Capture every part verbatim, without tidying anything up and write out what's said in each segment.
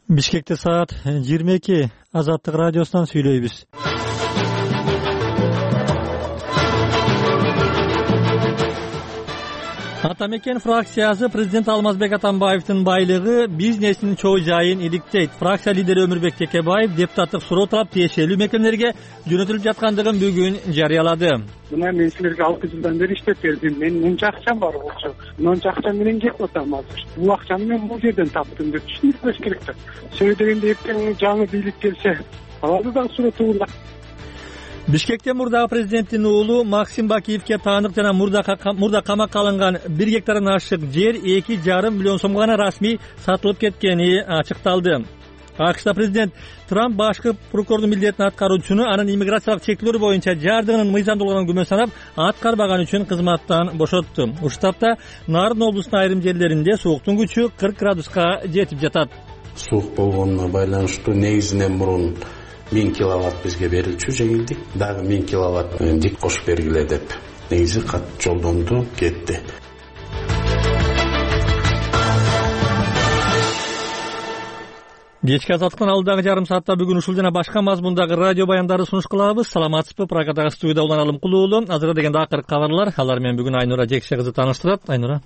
Бишкекте саат жыйырма эки. Азаттык радиосунан сүйлөйбүз. Ата мекен фракциясы президент Алмазбек Атамбаевдин байлыгы бизнесинин чоо жайын иликтейт. Фракция лидери Өмүрбек Текебаев депутаттык суроо талап тиешелүү мекемелерге жөнөтүлүп жаткандыгын бүгүн жарыялады. Мына мен силерге алты жылдан бери иштеп бердим. Менин мынча акчам бар болчу. Мынча акча менен жеп атам азыр. Бул акчаны мен бул жерден таптым деп түшүнүш керек да. Сөй дегенде эртең жаңы бийлик келсе, аларды дагы суротуула. Бишкекте мурдагы президенттин уулу Максим Бакиевке таандык жана мурда камакка алынган бир гектардан ашык жер эки жарым миллион сомго гана расмий сатылып кеткени ачыкталды. АКШда президент Трамп башкы прокурордун милдетин аткаруучуну анын иммиграциялык чектөөлөр боюнча жардыгынын мыйзамдуулугунан күмөн санап, аткарбаганы үчүн кызматтан бошотту. Ушул тапта Нарын облусунун айрым жерлеринде сууктун күчү кырк градуска жетип жатат. Суук болгонуна байланыштуу негизинен мурун миң киловатт бизге берилчү жеңилдик, дагы миң киловатт дик кошуп бергиле деп негизи кат жолдонду, кетти. Кечки азаттыктын алдыдагы жарым саатта бүгүн ушул жана башка мазмундагы радио баяндарды сунуш кылабыз. Саламатсызбы? Программадагы студияда Улан Алым Кулуулу. Азыркы дегенде акыркы кабарлар. Алар менен бүгүн Айнура Жекше кызы тааныштырат. Айнура.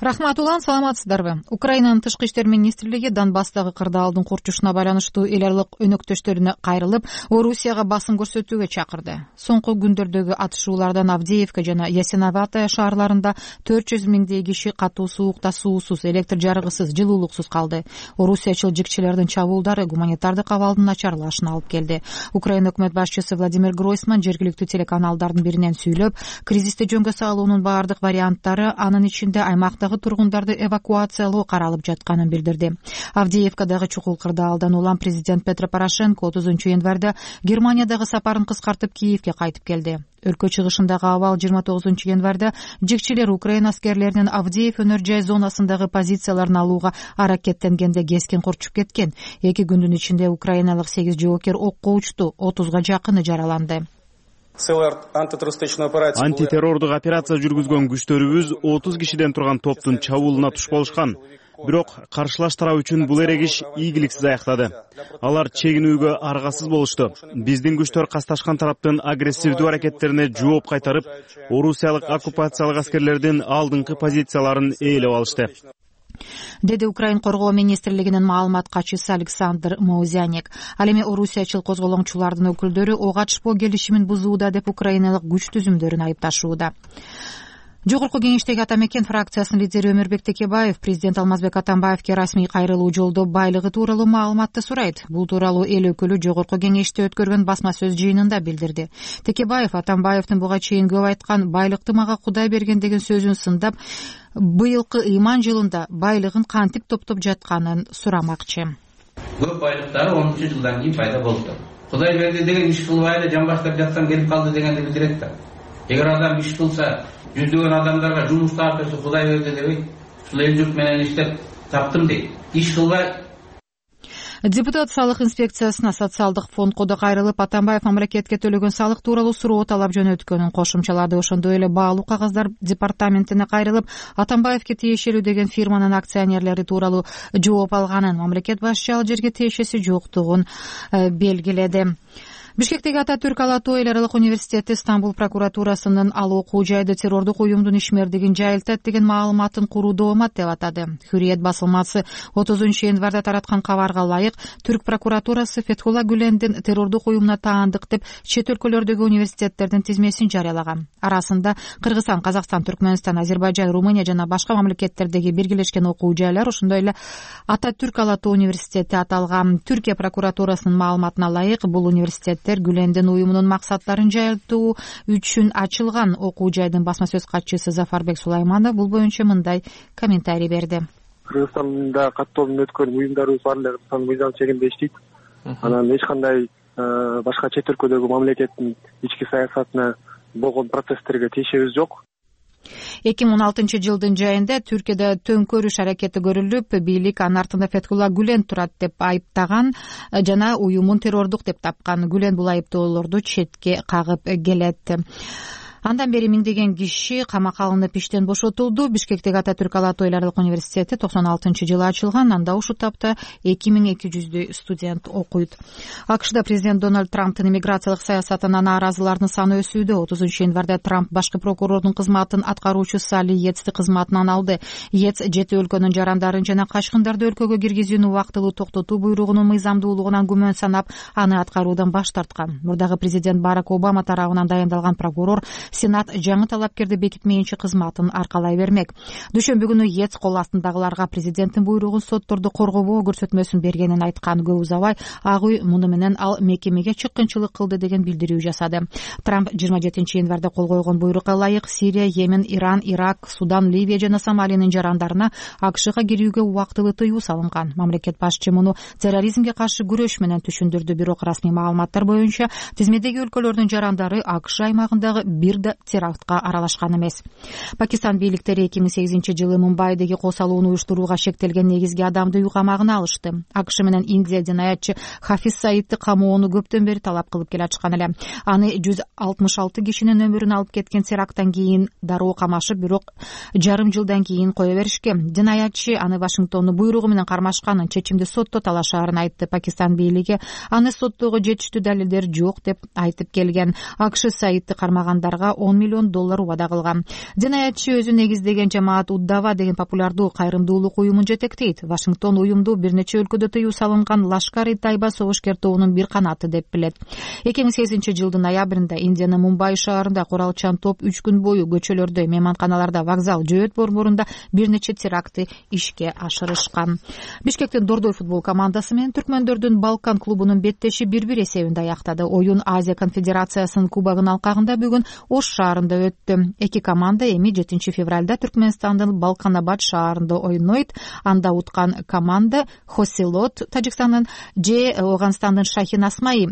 Рахмат Улан, саламатсыздарбы? Украинанын тышкы иштер министрлиги Донбасстагы кырдаалдын курчушуна байланыштуу эл аралык өнөктөштөрүнө кайрылып, Орусияга басым көрсөтүүгө чакырды. Соңку күндөрдөгү атышуулардан Авдеевка жана Ясиноватая шаарларында төрт жүз миңдей киши катуу суукта суусуз, электр жарыгысыз, жылуулуксуз калды. Орусиячыл жикчилердин чабуулдары гуманитардык абалдын начарлашына алып келди. Украина өкмөт башчысы Владимир Гройсман жергиликтүү телеканалдардын биринен сүйлөп, кризисти жөнгө салуунун баардык варианттары, анын ичинде аймактагы тургундарды эвакуациялоо каралып жатканын билдирди. Авдеевкадагы чукул кырдаалдан улам президент Петро Порошенко отузунчу январда Германиядагы сапарын кыскартып Киевге кайтып келди. Өлкө чыгышындагы абал жыйырма тогузунчу январда жикчилер Украина аскерлеринин Авдеев өнөр жай зонасындагы позицияларын алууга аракеттенгенде кескин курчуп кеткен. Эки күндүн ичинде украиналык сегиз жоокер окко учту, отузга жакыны жараланды. Антитеррордук операция жүргүзгөн күчтөрүбүз отуз кишиден турган топтун чабуулуна туш болушкан. Бирок каршылаш тарап үчүн бул эрегиш ийгиликсиз аяктады. Алар чегинүүгө аргасыз болушту. Биздин күчтөр касташкан тараптын агрессивдүү аракеттерине жооп кайтарып, орусиялык оккупациялык аскерлердин алдыңкы позицияларын ээлеп алышты, деди Украин коргоо министрлигинин маалымат катчысы Александр Маузяник. Ал эми орусиячыл козголоңчулардын өкүлдөрү ок атышпоо келишимин бузууда деп украиналык күч түзүмдөрүн айыпташууда. Жогорку кеңештеги Ата мекен фракциясынын лидери Өмүрбек Текебаев президент Алмазбек Атамбаевке расмий кайрылуу жолдоп байлыгы тууралуу маалыматты сурайт. Бул тууралуу эл өкүлү жогорку кеңеште өткөргөн басма сөз жыйынында билдирди. Текебаев Атамбаевдин буга чейин көп айткан байлыкты мага Кудай берген деген сөзүн сындап, быйылкы ыйман жылында байлыгын кантип топтоп жатканын сурамакчы. Көп байлыктары онунчу жылдан кийин пайда болду. Кудай берди деген иш кылбай эле жамбаштап жатсам келип калды дегенди билдирет да. Эгер адам иш кылса, жүздөгөн адамдарга жумуш тартырса Кудай берди дебейт. Ушул эл журт менен иштеп таптым дейт. Иш кылбай. Депутат салык инспекциясына социалдык фондко да кайрылып, Атамбаев мамлекетке төлөгөн салык тууралуу суроо талап жөнөткөнүн кошумчалады. Ошондой эле баалуу кагаздар департаментине кайрылып, Атамбаевке тиешелүү деген фирманын акционерлери тууралуу жооп алганын, мамлекет башчы ал жерге тиешеси жоктугун белгиледи. Бишкектеги Ататүрк Ала Тоо эл аралык университети Стамбул прокуратурасынын ал окуу жайды террордук уюмдун ишмердигин жайылтат деген маалыматын курууду омат деп атады. Хүрүет басылмасы отузунчу январда тараткан кабарга ылайык, Түрк прокуратурасы Фетхулла Гүлендин террордук уюмуна таандык деп чет өлкөлөрдөгү университеттердин тизмесин жарыялаган. Арасында Кыргызстан, Казакстан, Түркмөнстан, Азербайжан, Румыния жана башка мамлекеттердеги биргелешкен окуу жайлар, ошондой эле Ататүрк Ала Тоо университети аталган. Түркия прокуратурасынын маалыматына ылайык, бул университет Гүлендин уюмунун максаттарын жайылтуу үчүн ачылган. Окуу жайдын басма сөз катчысы Зафарбек Сулайманов бул боюнча мындай комментарий берди. Кыргызстанда каттоодон өткөн уюмдарыбыз бар эле Кыргызстан мыйзам чегинде иштейт. Анан эч кандай башка чет өлкөдөгү мамлекеттин ички саясатына болгон процесстерге тиешебиз жок. эки миң он алтынчы жылдын жайында Түркияда төңкөрүш аракети көрүлүп, бийлик анын артында Фетхулла Гүлен турат деп айыптаган жана уюмун террордук деп тапкан. Гүлен бул айыптоолорду четке кагып келет. Андан бери миңдеген киши камакка алынып иштен бошотулду. Бишкектеги Ататүрк Ала Тойларлык университети токсон алтынчы жылы ачылган. Анда ушул тапта эки миң эки жүздөй студент окуйт. АКШда президент Дональд Трамптын иммиграциялык саясатына нааразылардын саны өсүүдө. отузунчу январда Трамп башкы прокурордун кызматын аткаруучу Салли Йетсти кызматынан алды. Йетс жети өлкөнүн жарандарын жана качкындарды өлкөгө киргизүүнү убактылуу токтотуу буйругунун мыйзамдуулугунан күмөн санап, аны аткаруудан баш тарткан. Мурдагы президент Барак Обама тарабынан дайындалган прокурор Сенат жаңы талапкерди бекитмейинче кызматын аркалай бермек. Дүйшөмбү күнү Йетс кол астындагыларга президенттин буйругун сотторду коргобоо көрсөтмөсүн бергенин айткан. Көп узабай Ак үй муну менен ал мекемеге чыккынчылык кылды деген билдирүү жасады. Трамп жыйырма жетинчи январда кол койгон буйрукка ылайык Сирия, Йемен, Иран, Ирак, Судан, Ливия жана Сомалиянын жарандарына АКШга кирүүгө убактылуу тыюу салынган. Мамлекет башчы муну терроризмге каршы күрөш менен түшүндүрдү. Бирок расмий маалыматтар боюнча тизмедеги өлкөлөрдүн жарандары АКШ аймагындагы бир да терактка аралашкан эмес. Пакистан бийликтери эки миң сегизинчи жылы Мумбайдеги косалууну уюштурууга шектелген негизги адамды үй камагына алышты. АКШ менен Индия динаятчы Хафиз Саидти камоону көптөн бери талап кылып келатышкан эле. Аны жүз алтымыш алты кишинин өмүрүн алып кеткен теракттан кийин дароо камашып, бирок жарым жылдан кийин кое беришкен. Динаятчы аны Вашингтондун буйругу менен кармашканын, чечимди сотто талашаарын айтты. Пакистан бийлиги аны соттогу жетиштүү далилдер жок деп айтып келген. АКШ Саидти кармагандарга он миллион доллар убада кылган. Динаятчы өзү негиздеген жамаат Уддава деген популярдуу кайрымдуулук уюмун жетектейт. Вашингтон уюмду бир нече өлкөдө тыюу салынган Лашкар-и-Тайба согушкер тобунун бир канаты деп билет. эки миң сегизинчи жылдын ноябрында Индиянын Мумбай шаарында куралчан топ үч күн бою көчөлөрдө, мейманканаларда, вокзал, жөөт борборунда бир нече терактты ишке ашырышкан. Бишкектин Дордой футбол командасы менен түркмөндөрдүн Балкан клубунун беттеши бир бир эсебинде аяктады. Оюн Азия конфедерациясынын кубогунун алкагында бүгүн Ош шаарында өттү. Эки команда эми жетинчи февралда Түркмөнстандын Балканабад шаарында ойнойт. Анда уткан команда Хосилот Тажикстандын же Оганстандын Шахин Асмай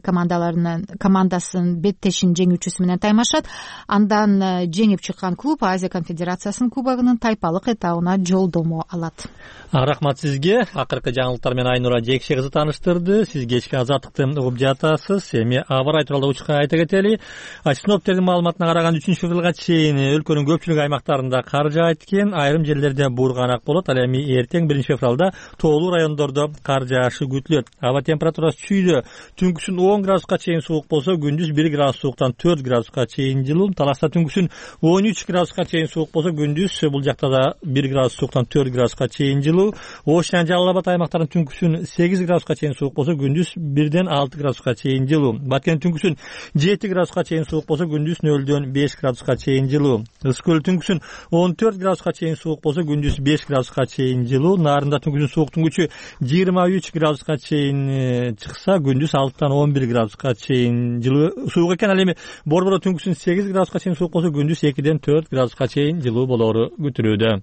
командаларынын командасын беттешин жеңүүчүсү менен таймашат. Андан жеңип чыккан клуб Азия конфедерациясынын кубогунун тайпалык этабына жолдомо алат. Рахмат сизге. Акыркы жаңылыктар менен Айнура Жекше кызы тааныштырды. Сиз кечки азаттыкты угуп жатасыз. Эми аба ырай тууралуу учка айта кетели. Синоптиктердин маалыматына караганда үчүнчү февралга чейин өлкөнүн көпчүлүк аймактарында кар жаайт экен. Айрым жерлерде буурганак болот. Ал эми эртең биринчи февралда тоолуу райондордо кар жаашы күтүлөт. Аба температурасы чүйдө түнкүсүн он градуска чейин суук болсо, күндүз бир градус сууктан төрт градуска чейин жылуу. Таласта түнкүсүн он үч градуска чейин суук болсо, күндүз бул жакта да бир градус сууктан төрт градуска чейин жылуу. Ош жана Жалал Абад аймактарынын түнкүсүн сегиз градуска чейин суук болсо, күндүз бирден алты градуска чейин жылуу. Баткендин түнкүсүн жети градуска чейин суук болсо, күндүз нөлдөн беш градуска чейин жылуу. Ысык көл түнкүсүн он төрт градуска чейин суук болсо, күндүз беш градуска чейин жылуу. Нарында түнкүсүн сууктун күчү жыйырма үч градуска чейин чыкса, күндүз алтыдан он бир градуска чейин жылуу суук экен. Ал эми Борбордо түнкүсүн сегиз градуска чейин суук болсо, күндүз экиден төрт градуска чейин жылуу болору күтүлүүдө.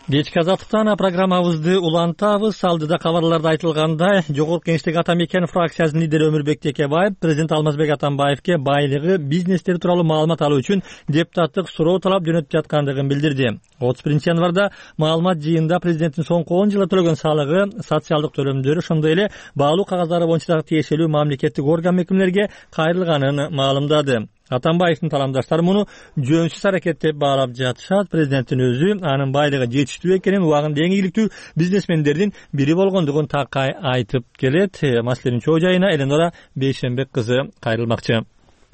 Кечки азаттыктан программабызды улантабыз. Алдыда кабарларда айтылгандай, Жогорку Кеңештеги Ата Мекен фракциясынын лидери Өмүрбек Текебаев президент Алмазбек Атамбаевке байлыгы, бизнестери тууралуу маалымат алуу үчүн депутаттык суроо талап жөнөтүп жаткандыгын билдирди. отуз биринчи январда маалымат жыйынында президенттин соңку он жылда төлөгөн салыгы, социалдык төлөмдөрү, ошондой эле баалуу кагаздары боюнча дагы тиешелүү мамлекеттик орган мекемелерге кайрылганын маалымдады. Атамбаевдин таламдаштары муну жөнсүз аракет деп баалап жатышат. Президенттин өзү анын байлыгы жетиштүү экенин, убагында эң ийгиликтүү бизнесмендердин бири болгондугун такай айтып келет. Маселенин чоо жайына Эленора Бейшенбек кызы кайрылмакчы.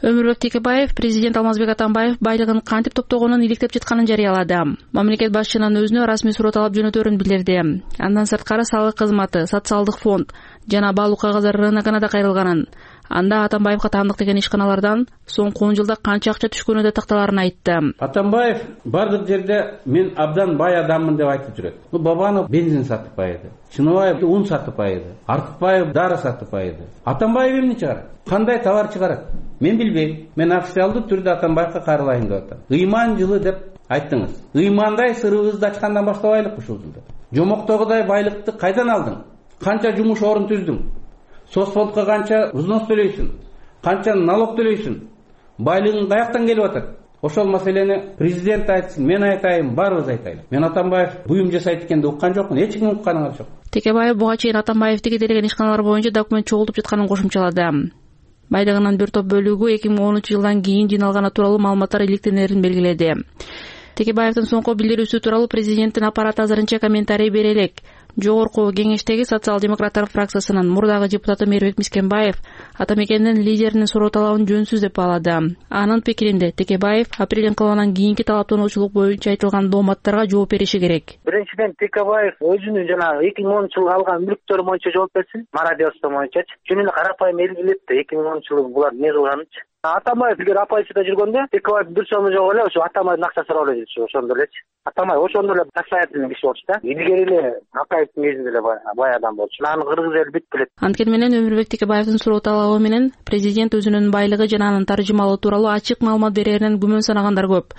Өмүрбек Текебаев президент Алмазбек Атамбаев байлыгын кантип топтогонун иликтеп жатканын жарыялады. Мамлекет башчынын өзүнө расмий суроо талап жөнөтөрүн билдирди. Андан сырткары салык кызматы, социалдык фонд жана баалуу кагаздар рыногуна да кайрылганын, анда Атамбаевга таандык деген ишканалардан соңку он жылда канча акча түшкөнү да такталарын айтты. Атамбаев бардык жерде мен абдан бай адаммын деп айтып жүрөт. Бабанов бензин сатып байыды, Чыныбаев ун сатып байыды, Артыкбаев дары сатып байыды. Атамбаев эмне чыгарат? Кандай товар чыгарат? Мен билбейм. Мен официалдуу түрдө Атамбаевга кайрылайын деп атам. Ыйман жылы деп айттыңыз. Ыймандай сырыбызды ачкандан баштабайлыкпы ушул жылда? Жомоктогудай байлыкты кайдан алдың? Канча жумуш орун түздүң? Соцфондко канча взнос төлөйсүң? Канча налог төлөйсүң? Байлыгың каяктан келип атат? Ошол маселени президент айтсын, мен айтайын, баарыбыз айтайлы. Мен Атамбаев буюм жасайт экенди уккан жокмун, эч кимдин укканы жок. Текебаев буга чейин Атамбаевди кедейлеген ишканалар боюнча документ чогултуп жатканын кошумчалады. Байлыгынын бир топ бөлүгү эки миң онунчу жылдан кийин жыйналганы тууралуу маалыматтар иликтенерин белгиледи. Текебаевдин соңку билдирүүсү тууралуу президенттин аппараты азырынча комментарий бере элек. Жогорку кеңештеги социал-демократтар фракциясынын мурдагы депутаты Мээрбек Мискенбаев Атамекендин лидеринин суроо талабын жөнсүз деп баалады. Анын пикиринде Текебаев апрель инкылабынан кийинки талаптануучулук боюнча айтылган дооматтарга жооп бериши керек. Биринчиден Текебаев өзүнүн жанагы эки миң онунчу жылы алган мүлктөрү боюнча жооп берсин, мародерство боюнчачы. Жөн эле карапайым элгилеп да эки миң онунчу жылы булар эмне кылганычы. Атамбаев эгер оппозицияда жүргөндө Текебаев бир сому жок эле ошо Атамбаевдин акчасы сурап эле жүрчү, ошондо элечи. Атамбаев ошондо эле состоятельный киши болчу да. Илгери эле Акаевдин кезинде эле бай адам болчу. Аны кыргыз эли бүт билет. Анткени менен Өмүрбек Текебаевдин суроо талабы менен президент өзүнүн байлыгы жана анын таржымалоо тууралуу ачык маалымат береринен күмөн санагандар көп.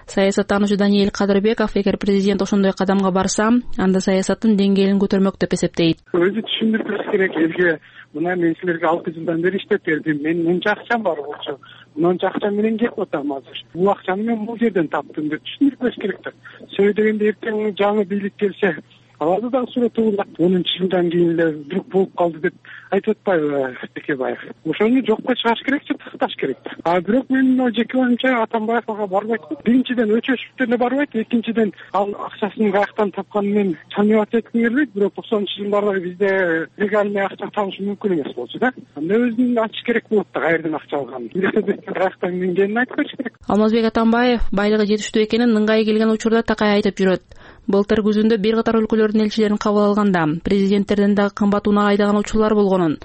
Саясаттануучу Даниэль Кадырбеков эгер президент ошондой кадамга барса, анда саясаттын деңгээлин көтөрмөк деп эсептейт. Өзү түшүндүрүш керек элге. Мына мен силерге алты жылдан бери иштеп бердим. Менин мынча акчам бар болчу. Мынча акча менен кетип атам азыр. Бул акчаны мен бул жерден таптым деп түшүндүрүш керек да. Сөй дегенде эртең жаңы бийлик келсе, аларды дагы суретуулап онунчу жылдан кийин эле вдруг болуп калды деп айтып атпайбы Текебаев. Ошону жокко чыгарыш керек, такташ керек. А бирок мен жеке оюмча Атамбаев ага барбайт. Биринчиден өчөшүп деле барбайт, экинчиден ал акчасын каяктан тапканын мен чамият этким келбейт. Бирок токсонунчу жылдары бизде легальный акча табыш мүмкүн эмес болчу да. Анда өзүн ачыш керек болот да, каерден акча алганын. Каяктан келгенин айтып бериш керек. Алмазбек Атамбаев байлыгы жетиштүү экенин ыңгай келген учурда такай айтып жүрөт. Былтыр күзүндө бир катар өлкөлөрдүн элчилерин кабыл алганда президенттерден дагы кымбат унаа айдаган учурлар болгонун,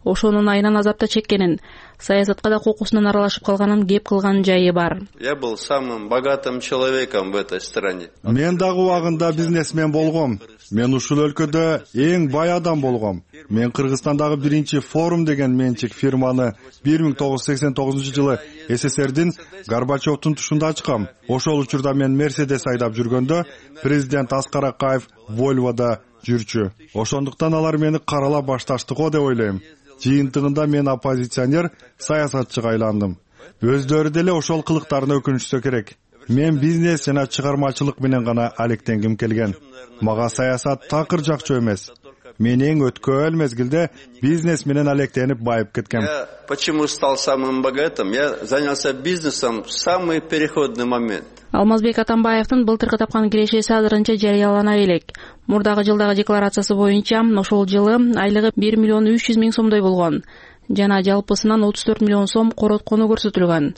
ошонун айынан азапта чеккенин, саясатка да кокусунан аралашып калганын кеп кылган жайы бар. Я был самым богатым человеком в этой стране. Мен дагы убагында бизнесмен болгом. Мен ушул өлкөдө эң бай адам болгом. Мен Кыргызстандагы биринчи форум деген менчик фирманы бир миң тогуз жүз сексен тогузунчу жылы СССРдин Горбачевдун тушунда ачкам. Ошол учурда мен Мерседес айдап жүргөндө президент Аскар Акаев Вольвода жүрчү. Ошондуктан алар мени каралап башташты го деп ойлойм. Жыйынтыгында мен оппозиционер, саясатчыга айландым. Өздөрү деле ошол кылыктарына өкүнүшсө керек. Мен бизнес жана чыгармачылык менен гана алектенгим келген. Мага саясат такыр жакчу эмес. Мен эң өткөн мезгилде бизнес менен алектенип байып кеткем. Я почему стал самым богатым? Я занялся бизнесом в самый переходный момент. Алмазбек Атамбаевдин былтыркы тапкан кирешеси азырынча жарыялана элек. Мурдагы жылдагы декларациясы боюнча ошол жылы айлыгы бир миллион үч жүз миң сомдой болгон жана жалпысынан отуз төрт миллион сом короткону көрсөтүлгөн.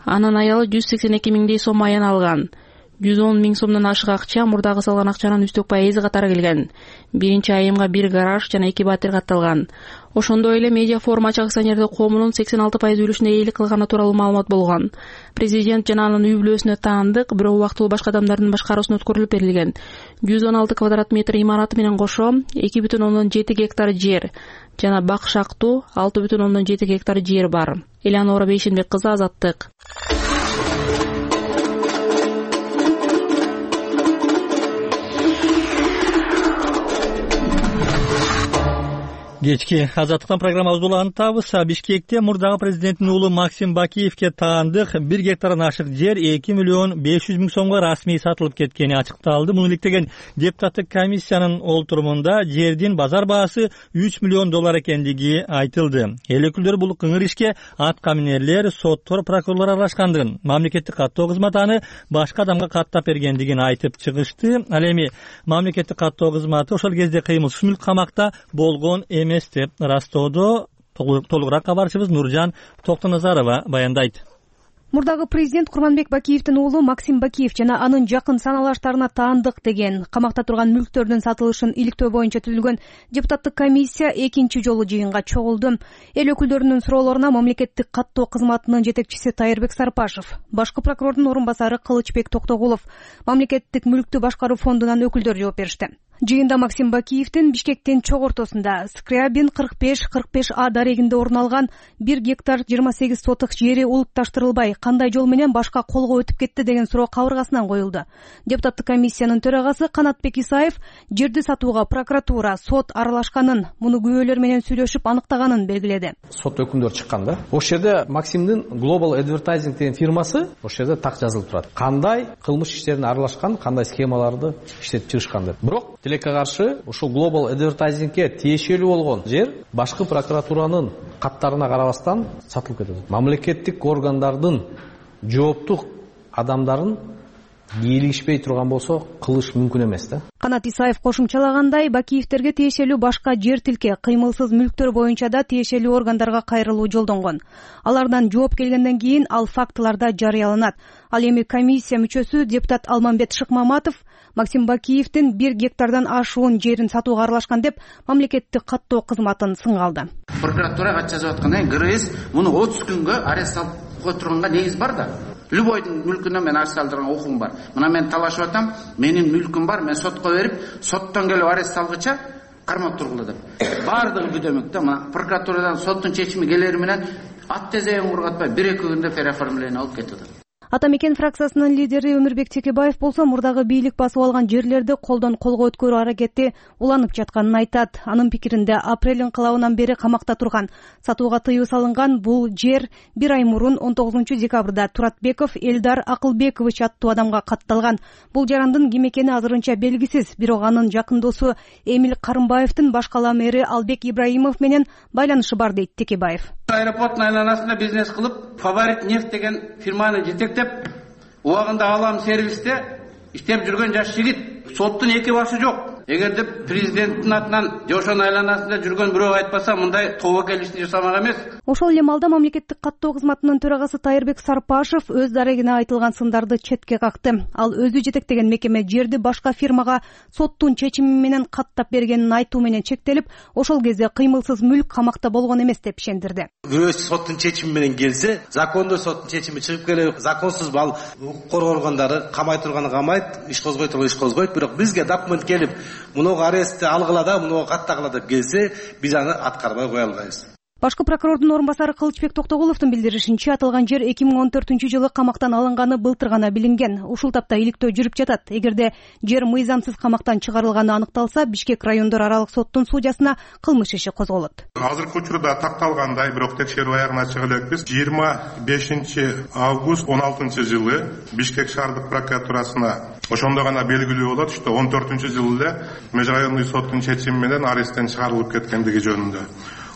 Анын аялы жүз сексен эки миңдей сом аян алган. жүз он миң сомдон ашык акча мурдагы салган акчанын үстөк пайызы катары келген. Биринчи айымга бир гараж жана эки батир катталган. Ошондой эле Медиа форум ачык акционердик коомунун сексен алты пайыз үлүшүнө ээлик кылганы тууралуу маалымат болгон. Президент жана анын үй бүлөсүнө таандык, бирок убактылуу башка адамдардын башкаруусуна өткөрүлүп берилген. жүз он алты квадрат метр имараты менен кошо эки бүтүн ондон жети гектар жер жана бак шактуу алты бүтүн ондон жети гектар жер бар. Элеонора Бейшенбек кызы, Азаттык. Кечки Азаттыктан программабызды улантабыз. Бишкекте мурдагы президенттин уулу Максим Бакиевке таандык бир гектардан ашык жер эки миллион беш жүз миң сомго расмий сатылып кеткени ачыкталды. Муну иликтеген депутаттык комиссиянын олтурумунда жердин базар баасы үч миллион доллар экендиги айтылды. Эл өкүлдөрү бул кыңыр ишке аткаминерлер, соттор, прокурорлор аралашкандыгын, мамлекеттик каттоо кызматы аны башка адамга каттап бергендигин айтып чыгышты. Ал эми мамлекеттик каттоо кызматы ошол кезде кыймылсыз мүлк камакта болгон эмес деп растоодо. Толугураак кабарчыбыз Нуржан Токтоназарова баяндайт. Мурдагы президент Курманбек Бакиевдин уулу Максим Бакиев жана анын жакын саналаштарына таандык деген камакта турган мүлктөрдүн сатылышын иликтөө боюнча түзүлгөн депутаттык комиссия экинчи жолу жыйынга чогулду. Эл өкүлдөрүнүн суроолоруна мамлекеттик каттоо кызматынын жетекчиси Тайырбек Сарпашев, башкы прокурордун орун басары Кылычбек Токтогулов, мамлекеттик мүлктү башкаруу фондунан өкүлдөр жооп беришти. Жыйында Максим Бакиевдин Бишкектин чок ортосунда Скрябин кырк беш кырк беш А дарегинде орун алган бир гектар жыйырма сегиз соток жери улутташтырылбай кандай жол менен башка колго өтүп кетти деген суроо кабыргасынан коюлду. Депутаттык комиссиянын төрагасы Канатбек Исаев жерди сатууга прокуратура, сот аралашканын, муну күбөлөр менен сүйлөшүп аныктаганын белгиледи. Сот өкүмдөр чыккан да. Ошол жерде Максимдин Global Advertising деген фирмасы ошол жерде так жазылып турат. Кандай кылмыш иштерине аралашкан, кандай схемаларды иштетип чыгышкан деп. Бирок тилекке каршы ушул Global Advertising'ке тиешелүү болгон жер башкы прокуратуранын каттарына карабастан сатылып кетет. Мамлекеттик органдардын жооптук адамдарын бийлигишпей турган болсо кылыш мүмкүн эмес да. Канат Исаев кошумчалагандай, Бакиевтерге тиешелүү башка жер тилке, кыймылсыз мүлктөр боюнча да тиешелүү органдарга кайрылуу жолдонгон. Алардан жооп келгенден кийин ал фактыларда жарыяланат. Ал эми комиссия мүчөсү депутат Алмамбет Шыкмаматов Максим Бакиевдин бир гектардан ашуун жерин сатууга аралашкан деп мамлекеттик каттоо кызматын сынга алды. Прокуратура кат жазып аткандай, ГРС муну отуз күнгө арест алып кое турганга негиз бар да. Любойдун мүлкүнөн мен арест алдырган окугум бар. Мына мен талашып атам, менин мүлкүм бар, мен сотко берип, соттон келип арест алгыча кармап тургула деп. Бардыгы бүдөмөк да. Мына прокуратурадан соттун чечими келери менен ат тезегин кургатпай бир эки күндө переоформление алып кетти. Ата мекен фракциясынын лидери Өмүрбек Текебаев болсо мурдагы бийлик басып алган жерлерди колдон колго өткөрүү аракети уланып жатканын айтат. Анын пикиринде апрель инкылабынан бери камакта турган, сатууга тыюу салынган бул жер бир ай мурун он тогузунчу декабрда Туратбеков Элдар Акылбекович аттуу адамга катталган. Бул жарандын ким экени азырынча белгисиз, бирок анын жакын досу Эмил Карымбаевдин башкала мэри Албек Ибраимов менен байланышы бар дейт Текебаев. Аэропорттун айланасында бизнес кылып, Фаворит нефть деген фирманы жетектеп, убагында алам сервисте иштеп жүргөн жаш жигит. Соттун эки башы жок. Эгерде президенттин атынан же ошонун айланасында жүргөн бирөө айтпаса, мындай тобокел ишти жасамак эмес. Ошол эле маалда мамлекеттик каттоо кызматынын төрагасы Тайырбек Сарпашев өз дарегине айтылган сындарды четке какты. Ал өзү жетектеген мекеме жерди башка фирмага соттун чечими менен каттап бергенин айтуу менен чектелип, ошол кезде кыймылсыз мүлк камакта болгон эмес деп ишендирди. Бирөө соттун чечими менен келсе, закондуу соттун чечими чыгып келип, законсуз ал укук коргоо органдары камай турганы камайт, иш козгой турган иш козгойт, бирок бизге документ келип, мунуга арестти алгыла да, мунуга каттагыла деп келсе, биз аны аткарбай кое албайбыз. Башкы прокурордун орун басары Кылычбек Токтогуловдун билдиришинче, аталган жер эки миң он төртүнчү жылы камактан алынганы былтыр гана билинген. Ушул тапта иликтөө жүрүп жатат. Эгерде жер мыйзамсыз камактан чыгарылганы аныкталса, Бишкек райондор аралык соттун судьясына кылмыш иши козголот. Азыркы учурда такталгандай, бирок текшерүү аягына чыга элекпиз. жыйырма бешинчи август он алтынчы жылы Бишкек шаардык прокуратурасына ошондо гана белгилүү болот, что он төртүнчү жылы эле межрайонный соттун чечими менен аресттен чыгарылып кеткендиги жөнүндө.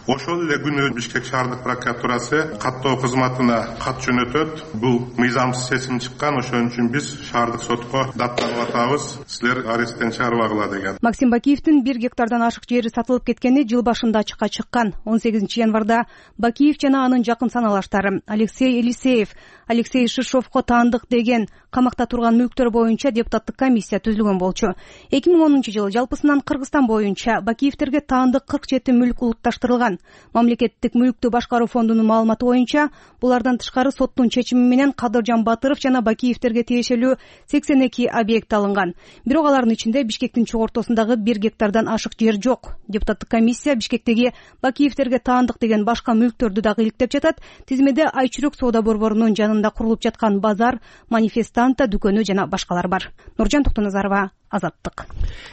Ошол эле күнү Бишкек шаардык прокуратурасы каттоо кызматына кат жөнөтөт. Бул мыйзамсыз чечим чыккан, ошон үчүн биз шаардык сотко даттанып атабыз, силер аресттен чыгарбагыла деген. Максим Бакиевдин бир гектардан ашык жери сатылып кеткени жыл башында ачыкка чыккан. он сегизинчи январда Бакиев жана анын жакын саналаштары Алексей Елисеев, Алексей Шишовко таандык деген камакта турган мүлктөр боюнча депутаттык комиссия түзүлгөн болчу. эки миң онунчу жылы жалпысынан Кыргызстан боюнча Бакиевтерге таандык кырк жети мүлк улутташтырылган. Мамлекеттик мүлктү башкаруу фондунун маалыматы боюнча, булардан тышкары соттун чечими менен Кадыржан Батыров жана Бакиевтерге тиешелүү сексен эки объект алынган. Бирок алардын ичинде Бишкектин чок ортосундагы бир гектардан ашык жер жок. Депутаттык комиссия Бишкектеги Бакиевтерге таандык деген башка мүлктөрдү дагы иликтеп жатат. Тизмеде Айчүрөк соода борборунун жанында курулуп жаткан базар, манифестанта дүкөнү жана башкалар бар. Нуржан Токтоназарова, Азаттык.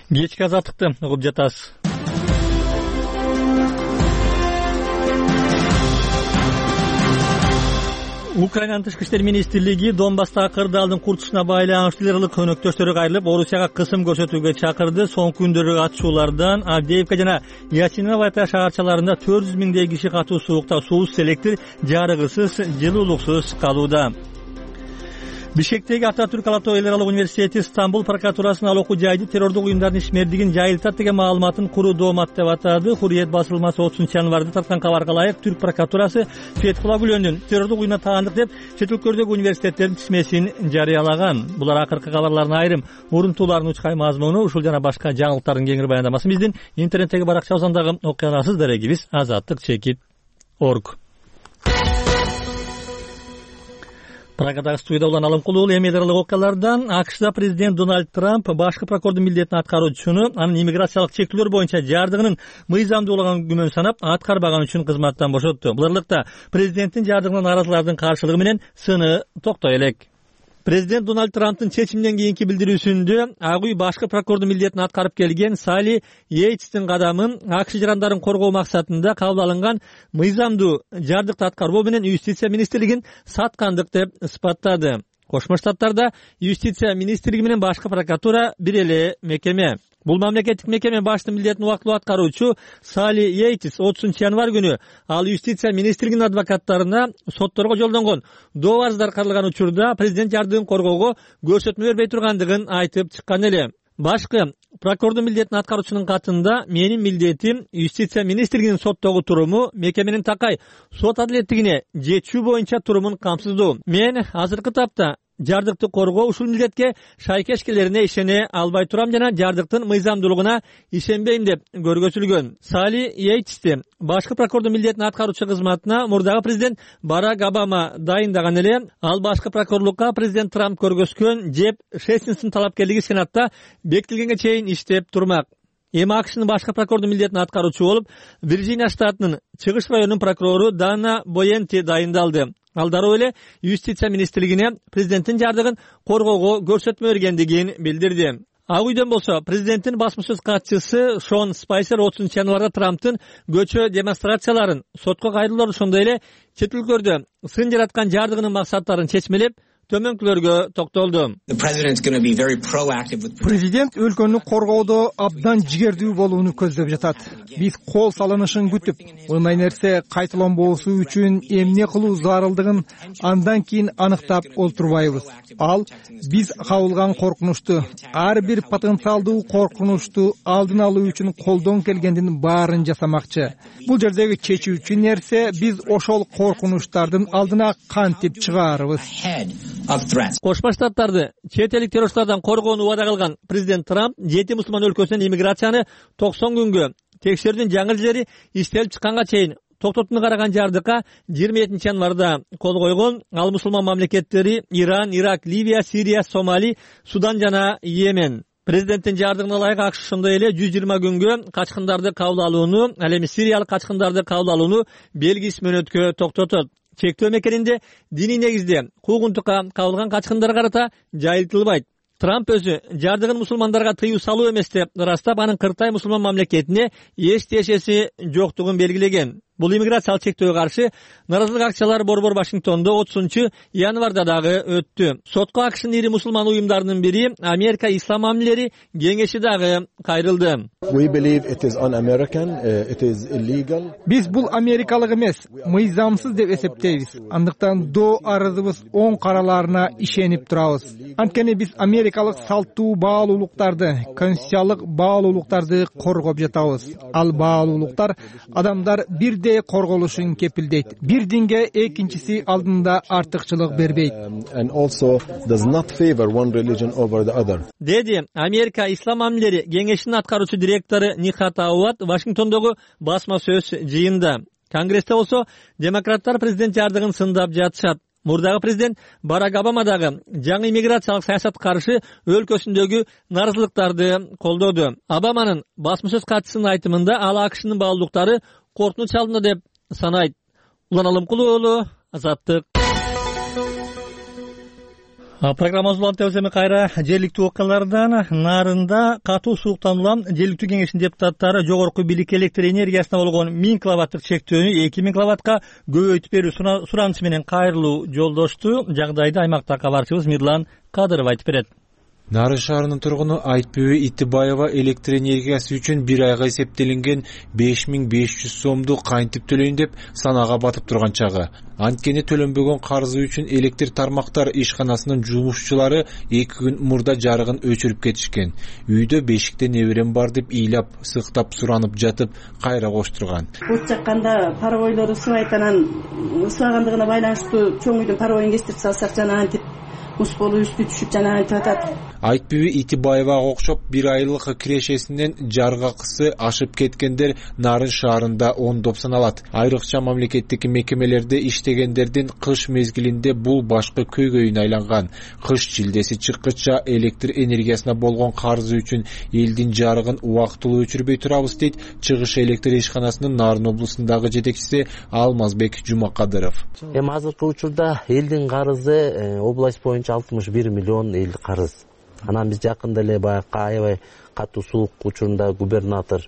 Кечки Азаттыкты угуп жатасыз. Украинанын тышкы иштер министрлиги Донбасстагы кырдаалдын куртушуна байланыштуу ылык өнөктөштөрү кайрылып, Орусияга кысым көрсөтүүгө чакырды. Соңку күндөрү атышуулардан Авдеевка жана Ясиновата шаарчаларында төрт жүз миңдей киши катуу суукта суусуз, электр жарыгысыз, жылуулуксуз калууда. Бишкектеги Ататүрк Ала Тоо эл аралык университети Стамбул прокуратурасынын ал окуу жайды террордук уюмдардын ишмердигин жайылтат деген маалыматын куруу доомат деп атады. Хурриет басылмасы отузунчу январда тарткан кабарга ылайык Түрк прокуратурасы Фетхула Гүлөндүн террордук уюмуна таандык деп чет өлкөлөрдөгү университеттердин тизмесин жарыялаган. Булар акыркы кабарлардын айрым урунтууларынын учкай мазмуну. Ушул жана башка жаңылыктардын кеңири баяндамасы биздин интернеттеги баракчабыздагы окуяларсыз дарегибиз азаттык чекит точка орг. Прагадагы студияда Улан Алымкулуу. Эми дарылык окуялардан АКШда президент Дональд Трамп башкы прокурордун милдетин аткаруучуну анын иммиграциялык чектөөлөр боюнча жардыгынын мыйзамдуулугун күмөн санап аткарбаган үчүн кызматтан бошотту. Бул ырлыкта президенттин жардыгына нааразылардын каршылыгы менен сыны токтой элек. Президент Дональд Трамптын чечиминен кийинки билдирүүсүндө Ак үй башкы прокурордун милдетин аткарып келген Салли Йейтстин кадамын АКШ жарандарын коргоо максатында кабыл алынган мыйзамдуу жардыкты аткарбоо менен юстиция министрлигин саткандык деп ысыптады. Кошмо Штаттарда юстиция министрлиги менен башкы прокуратура бир эле мекеме. Бул мамлекеттик мекеме баштын милдетин убактылуу аткаруучу Салли Йейтс отузунчу январь күнү ал юстиция министрлигинин адвокаттарына сотторго жолдонгон доо арыздар каралган учурда президент жардыгын коргоого көрсөтмө бербей тургандыгын айтып чыккан эле. Башкы прокурордун милдетин аткаруучунун катында менин милдетим юстиция министрлигинин соттогу туруму мекеменин такай сот адилеттигине жетүү боюнча турумун камсыздоо. Мен азыркы тапта жардыкты коргоо ушул милдетке шайкешкелерине ишене албай турам жана жардыктын мыйзамдуулугуна ишенбейм деп көргөзүлгөн. Салли Йейтсти башкы прокурордун милдетин аткаруучу кызматына мурдагы президент Барак Обама дайындаган эле. Ал башкы прокурорлукка президент Трамп көргөзгөн Джефф Сессинстин талапкерлиги Сенатта бекитилгенге чейин иштеп турмак. Эми АКШнын башкы прокурордун милдетин аткаруучу болуп Вирджиния штатынын чыгыш районунун прокурору Дана Боенти дайындалды. Ал дароо эле юстиция министрлигине президенттин жардыгын коргоого көрсөтмө бергендигин билдирди. Ак үйдөн болсо президенттин басма сөз катчысы Шон Спайсер отузунчу январда Трамптын көчө демонстрацияларын, сотко кайрылуулар ошондой эле чет өлкөлөрдө сын жараткан жардыгынын максаттарын чечмелеп төмөнкүлөргө токтолду. Президент өлкөнү коргоодо абдан жигердүү болууну көздөп жатат. Биз кол салынышын күтүп, мындай нерсе кайталанбоосу үчүн эмне кылуу зарылдыгын андан кийин аныктап олтурбайбыз. Ал биз кабылган коркунучту, ар бир потенциалдуу коркунучту алдын алуу үчүн колдон келгендин баарын жасамакчы. Бул жердеги чечүүчү нерсе биз ошол коркунучтардын алдына кантип чыгаарыбыз. Кошмо Штаттарды чет элик террористтардан коргоону убада кылган президент Трамп жети мусулман өлкөсүнөн иммиграцияны токсон күнгө текшерүүнүн жаңы жери иштелип чыкканга чейин токтотууну караган жардыкка жыйырма экинчи январда кол койгон. Ал мусулман мамлекеттери Иран, Ирак, Ливия, Сирия, Сомали, Судан жана Йемен. Президенттин жардыгына ылайык АКШ ошондой эле жүз жыйырма күнгө качкындарды кабыл алууну, ал эми сириялык качкындарды кабыл алууну белгисиз мөөнөткө токтотот. Чектөө мекенинде диний негизде куугунтукка кабылган качкындарга карата жайылтылбайт. Трамп өзү жардыгын мусулмандарга тыюу салуу эмес деп ырастап, анын кыртай мусулман мамлекетине эч тиешеси жоктугун белгилеген. Бул иммиграциялык чектөөгө каршы нааразылык акциялары борбор Вашингтондо отузунчу январда дагы өттү. Сотко АКШнын ири мусулман уюмдарынын бири Америка Ислам мамилери кеңеши дагы кайрылды. Биз бул америкалык эмес, мыйзамсыз деп эсептейбиз. Андыктан доо арызыбыз оң караларына ишенип турабыз. Анткени биз америкалык салттуу баалуулуктарды, конституциялык баалуулуктарды коргоп жатабыз. Ал баалуулуктар адамдар бир корголушун кепилдейт. Бир динге экинчиси алдында артыкчылык бербейт. Деди Америка Ислам мамилери кеңешинин аткаруучу директору Нихат Ауат Вашингтондогу басма сөз жыйында. Конгрессте болсо демократтар президент жардыгын сындап жатышат. Мурдагы президент Барак Обама дагы жаңы иммиграциялык саясатка каршы өлкөсүндөгү нааразылыктарды колдоду. Обаманын басма сөз катчысынын айтымында ал АКШнын баалуулуктары коркунуч алдында деп санайт. Улан Алымкулуу уулу, Азаттык. Программабыз улан телевизияны кайра жергиликтүү окуялардан. Нарында катуу сууктан улам жергиликтүү кеңештин депутаттары жогорку бийликке электр энергиясына болгон миң киловатттык чектөөнү эки миң киловаттка көбөйтүп берүү суранычы менен кайрылуу жолдошту. Жагдайды аймактагы кабарчыбыз Мирлан Кадыров айтып берет. Нарын шаарынын тургуну Айтбүбү Итибаева электр энергиясы үчүн бир айга эсептелинген беш миң беш жүз сомду кантип төлөйүн деп санага батып турган чагы. Анткени төлөнбөгөн карызы үчүн электр тармактар ишканасынын жумушчулары эки күн мурда жарыгын өчүрүп кетишкен. Үйдө бешикте неберем бар деп ыйлап, сыктап суранып жатып, кайра коштурган. От жакканда паровойлору сыбайт, анан сыбагандыгына байланыштуу чоң үйдүн паровойун кестирип салсак жана антип мус болуп үстү түшүп жана айтып атат. Айтпүйбү Итибаевага окшоп бир айлык кирешесинен жаргакысы ашып кеткендер Нарын шаарында ондоп саналат. Айрыкча мамлекеттик мекемелерде иштегендердин кыш мезгилинде бул башкы көйгөйүнө айланган. Кыш жилдеси чыккыча электр энергиясына болгон карызы үчүн элдин жарыгын убактылуу өчүрбөй турабыз дейт Чыгыш электр ишканасынын Нарын облусундагы жетекчиси Алмазбек Жумакадыров. Эми азыркы учурда элдин карызы область боюнча алтымыш бир миллион элдик карыз. Анан биз жакында эле баягы аябай катуу суук учурунда губернатор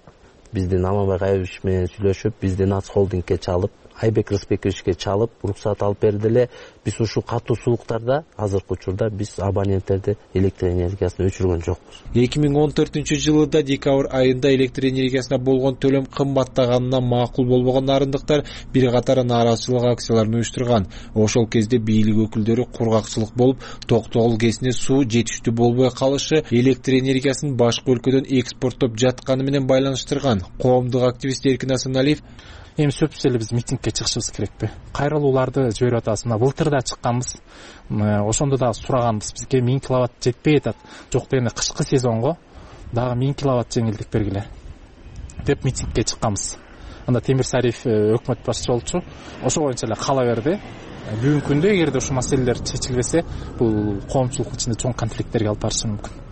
биздин Алмазбек Айбишевич менен сүйлөшүп, бизди Нац холдингке чалып, Айбек Рысбековичке чалып, уруксат алып берди эле. Биз ушул катуу сууктарда азыркы учурда биз абоненттерди электр энергиясын өчүргөн жокпуз. эки миң он төртүнчү жылыда декабрь айында электр энергиясына болгон төлөм кымбаттаганына макул болбогон нарындыктар бир катар нааразычылык акцияларын уюштурган. Ошол кезде бийлик өкүлдөрү кургакчылык болуп, Токтогул КЭСине суу жетиштүү болбой калышы электр энергиясын башка өлкөдөн экспорттоп жатканы менен байланыштырган. Коомдук активист Эркин Асаналиев эми сөзсүз эле биз митингке чыгышыбыз керекпи? Кайрылууларды жиберип атабыз. Мына былтыр да чыкканбыз. Ошондо да сураганбыз. Бизге миң киловатт жетпей атат. Жок дегенде кышкы сезонго дагы миң киловатт жеңилдик бергиле деп митингке чыкканбыз. Анда Темир Сариев өкмөт башчысы болчу. Ошо боюнча эле кала берди. Бүгүнкү күндө эгерде ушул маселелер чечилбесе, бул коомчулук ичинде чоң конфликттерге алып барышы мүмкүн.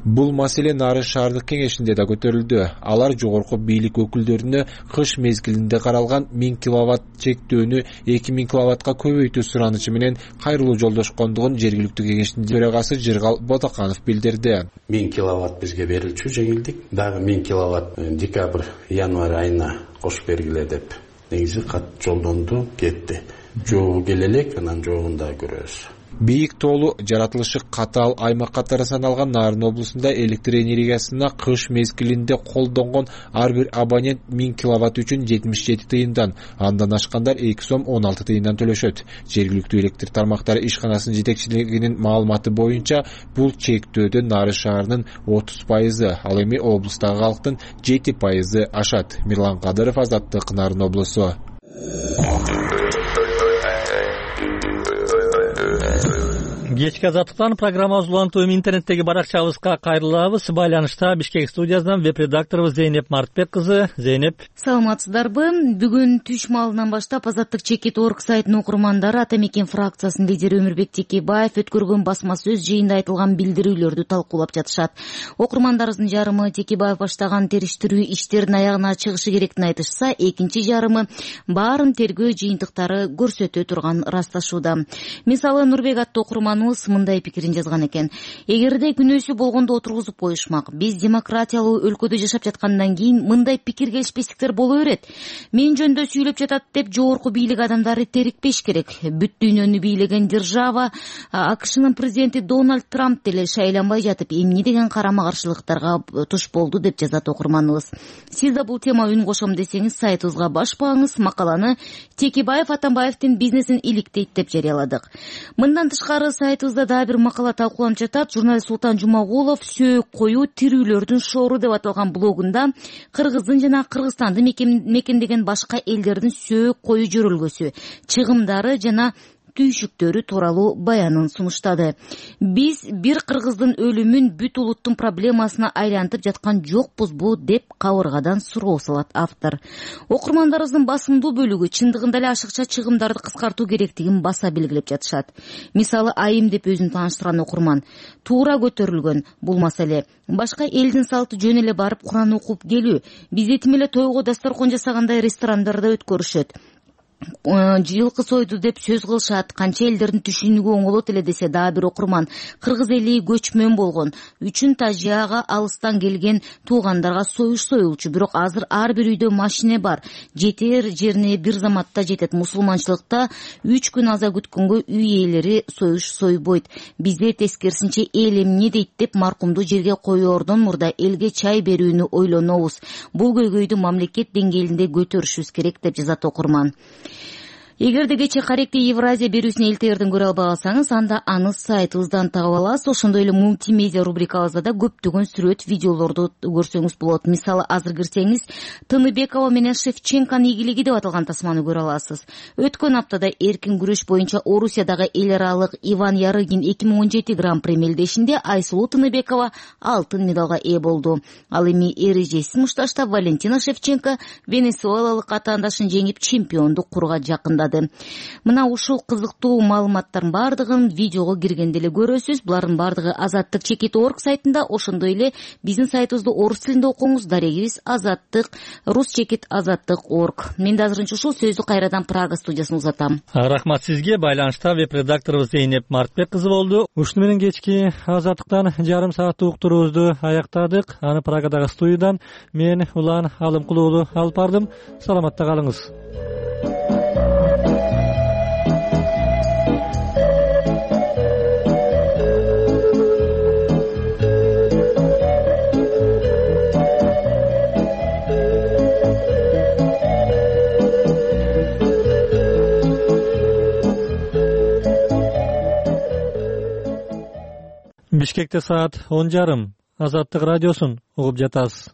Бул маселе Нарын шаардык кеңешинде да көтөрүлдү. Алар жогорку бийлик өкүлдөрүнө кыш мезгилинде каралган миң киловатт чектөөнү эки миң киловаттка көбөйтүү суранычы менен кайрылуу жолдошкондугун жергиликтүү кеңештин төрагасы Жыргал Ботаканов билдирди. миң киловатт бизге берилчү жеңилдик. Дагы миң киловатт декабрь январь айына кошуп бергиле деп негизи кат жолдонду, кетти. Жогу келе элек, анан жогун да көрөбүз. Бийик тоолу жаратылышы катаал аймак катары саналган Нарын облусунда электр энергиясына кыш мезгилинде колдонгон ар бир абонент миң киловатт үчүн жетимиш жети тыйындан, андан ашкандар эки сом он алты тыйындан төлөшөт. Жергиликтүү электр тармактары ишканасынын жетекчилигинин маалыматы боюнча бул чектөөдө Нарын шаарынын отуз пайызы, ал эми облустагы калктын жети пайызы ашат. Мирлан Кадыров, Азаттык, Нарын облусу. Кечки Азаттыктан программабыз улантуу эми интернеттеги баракчабызга кайрылабыз. Байланышта Бишкек студиясынан веб-редакторубуз Зейнеп Мартбек кызы. Зейнеп, саламатсыздарбы? Бүгүн түш маалынан баштап Азаттык чекит орг сайтынын окурмандары Ата Мекен фракциясынын лидери Өмүрбек Текебаев өткөргөн басма сөз жыйында айтылган билдирүүлөрдү талкуулап жатышат. Окурмандарыбыздын жарымы Текебаев баштаган териштирүү иштерин аягына чыгышы керектин айтышса, экинчи жарымы баарын тергөө жыйынтыктары көрсөтө турган ырасташууда. Мисалы, Нурбек аттуу окурман мындай пикирин жазган экен. Эгерде күнөөсү болгондо отургузуп коюшмак. Биз демократиялуу өлкөдө жашап жаткандан кийин мындай пикир келишпестиктер боло берет. Мен жөндө сүйлөп жатат деп жогорку бийлик адамдары терикпеш керек. Бүт дүйнөнү бийлеген держава АКШнын президенти Дональд Трамп деле шайланбай жатып, эмне деген карама каршылыктарга туш болду деп жазат окурманыбыз. Сиз да бул тема үн кошом десеңиз, сайтыбызга башпаңыз. Макаланы Текебаев Атамбаевдин бизнесин иликтейт деп жарыяладык. Мындан тышкары сайтыбызда дагы бир макала талкууланып жатат. Журналист Султан Жумагулов сөөк коюу тирүүлөрдүн шоору деп аталган блогунда Кыргыздын жана Кыргызстанды мекендеген башка элдердин сөөк коюу жөрөлгөсү, чыгымдары жана түйшүктөрү тууралуу баянын сунуштады. Биз бир кыргыздын өлүмүн бүт улуттун проблемасына айлантып жаткан жокпузбу деп кабыргадан суроо салат автор. Окурмандарыбыздын басымдуу бөлүгү чындыгында эле ашыкча чыгымдарды кыскартуу керектигин баса белгилеп жатышат. Мисалы, Айым деп өзүн тааныштырган окурман: туура көтөрүлгөн бул маселе. Башка элдин салты жөн эле барып Куран окуп келүү. Бизде тим эле тойго дасторкон жасагандай ресторандарда өткөрүшөт. Жылкы сойду деп сөз кылышат. Канча элдердин түшүнүгү оңолот эле десе дагы бир окурман: кыргыз эли көчмөн болгон үчүн Тажияга алыстан келген туугандарга союш союлчу. Бирок азыр ар бир үйдө машине бар. Жетер жерине бир заматта жетет. Мусулманчылыкта үч күн аза күткөнгө үй ээлери союш сойбойт. Бизде тескерисинче эл эмне дейт деп маркумду жерге коёордон мурда элге чай берүүнү ойлонобуз. Бул көйгөйдү мамлекет деңгээлинде көтөрүшүбүз керек деп жазат окурман. эгерде кечээ каректи Евразия берүүсүн элтегерден көрө албагансаңыз, анда аны сайтыбыздан таап аласыз. Ошондой эле мультимедиа рубрикабызда да көптөгөн сүрөт, видеолорду көрсөңүз болот. Мисалы, азыр кирсеңиз Тыныбекова менен Шевченконун ийгилиги деп аталган тасманы көрө аласыз. Өткөн аптада эркин күрөш боюнча Орусиядагы эл аралык Иван Ярыгин эки миң он жети гран-при мелдешинде Айсулуу Тыныбекова алтын медалга ээ болду. Ал эми эрежесиз мушташта Валентина Шевченко венесуэлалык атаандашын жеңип чемпиондук курга жакындады. Мына ушул кызыктуу маалыматтардын бардыгын видеого киргенде эле көрөсүз. Булардын бардыгы Азаттык чекит точка орг сайтында, ошондой эле биздин сайтыбызды орус тилинде окуңуз. Дарегибиз Азаттык, рус чекит азаттык точка орг. Мен да азырынча ушул сөздү кайрадан Прага студиясына узатам. Рахмат сизге. Байланышта веб-редакторубуз Зейнеп Мартбек кызы болду. Ушуну менен кечки Азаттыктан жарым сааттык уктуруубузду аяктадык. Аны Прагадагы студиядан мен Улан Алымкулуу уулу алып бардым. Саламатта калыңыз. Бишкекте саат он жарым. Азаттык радиосун угуп жатасыз.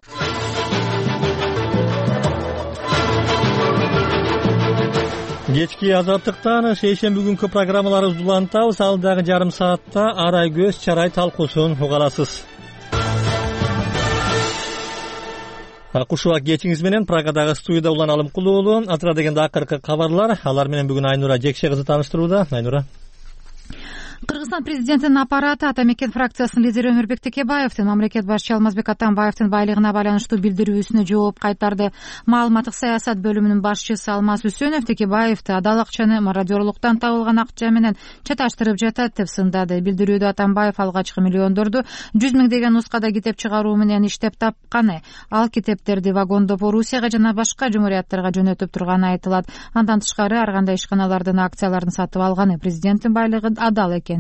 Кечки Азаттыктан шейшемби күнкү программаларыбызды улантабыз. Ал дагы жарым саатта арай көз чарай талкуусун уга аласыз. Акушубак кечиңиз менен Прагадагы студияда Улан Алымкулуу уулу. Атыра дегенде акыркы кабарлар. Алар менен бүгүн Айнура Жекше кызы тааныштырууда. Айнура. Кыргызстан президентинин аппараты Ата Мекен фракциясынын лидери Өмүрбек Текебаевдин мамлекет башчысы Алмазбек Атамбаевдин байлыгына байланыштуу билдирүүсүнө жооп кайтарды. Маалыматтык саясат бөлүмүнүн башчысы Алмаз Үсөнов Текебаевди адал акчаны мародёрлуктан табылган акча менен чаташтырып жатат деп сындады. Билдирүүдө Атамбаев алгачкы миллиондорду жүз миңдеген нускада китеп чыгаруу менен иштеп тапканы, ал китептерди вагондоп Орусияга жана башка жумурияттарга жөнөтүп турганы айтылат. Андан тышкары ар кандай ишканалардын акцияларын сатып алганы, президенттин байлыгы адал экени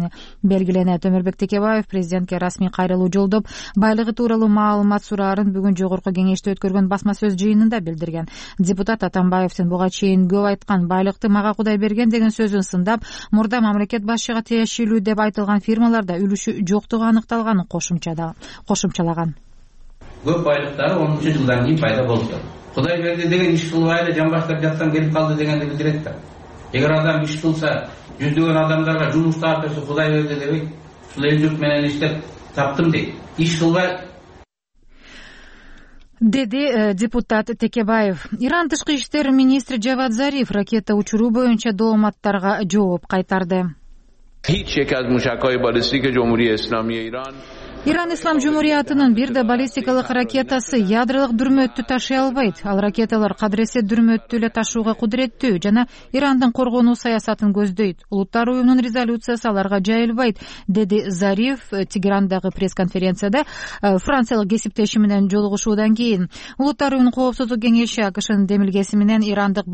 белгиленет. Өмүрбек Текебаев президентке расмий кайрылуу жолдоп, байлыгы тууралуу маалымат сураарын бүгүн жогорку кеңеште өткөргөн басма сөз жыйынында билдирген. Депутат Атамбаевдин буга чейин көп айткан байлыкты мага Кудай берген деген сөзүн сындап, мурда мамлекет башчыга тиешелүү деп айтылган фирмаларда үлүшү жоктугу аныкталганын кошумчалаган. Көп байлыктары онунчу жылдан кийин пайда болду. Кудай берди деген иш кылбай эле жан баштап жатсам келип калды дегенди билдирет да. Эгер адам иш кылса, жүздөгөн адамдарга жумуш таап берсе Кудай берди дебейт. Ушул эл журт менен иштеп таптым дейт. Иш кылбай деди депутат Текебаев. Иран тышкы иштер министри Джавад Зариф ракета учуруу боюнча дооматтарга жооп кайтарды. Иран Ислам Жумуриятынын бир да баллистикалык ракетасы ядролук дүрмөттү ташый албайт. Ал ракеталар кадыресе дүрмөттү эле ташууга кудуреттүү жана Ирандын коргонуу саясатын көздөйт. Улуттар уюмунун резолюциясы аларга жайылбайт, деди Зариф Тегерандагы пресс-конференцияда франциялык кесиптеши менен жолугушуудан кийин. Улуттар уюмунун коопсуздук кеңеши АКШнын демилгеси менен Ирандык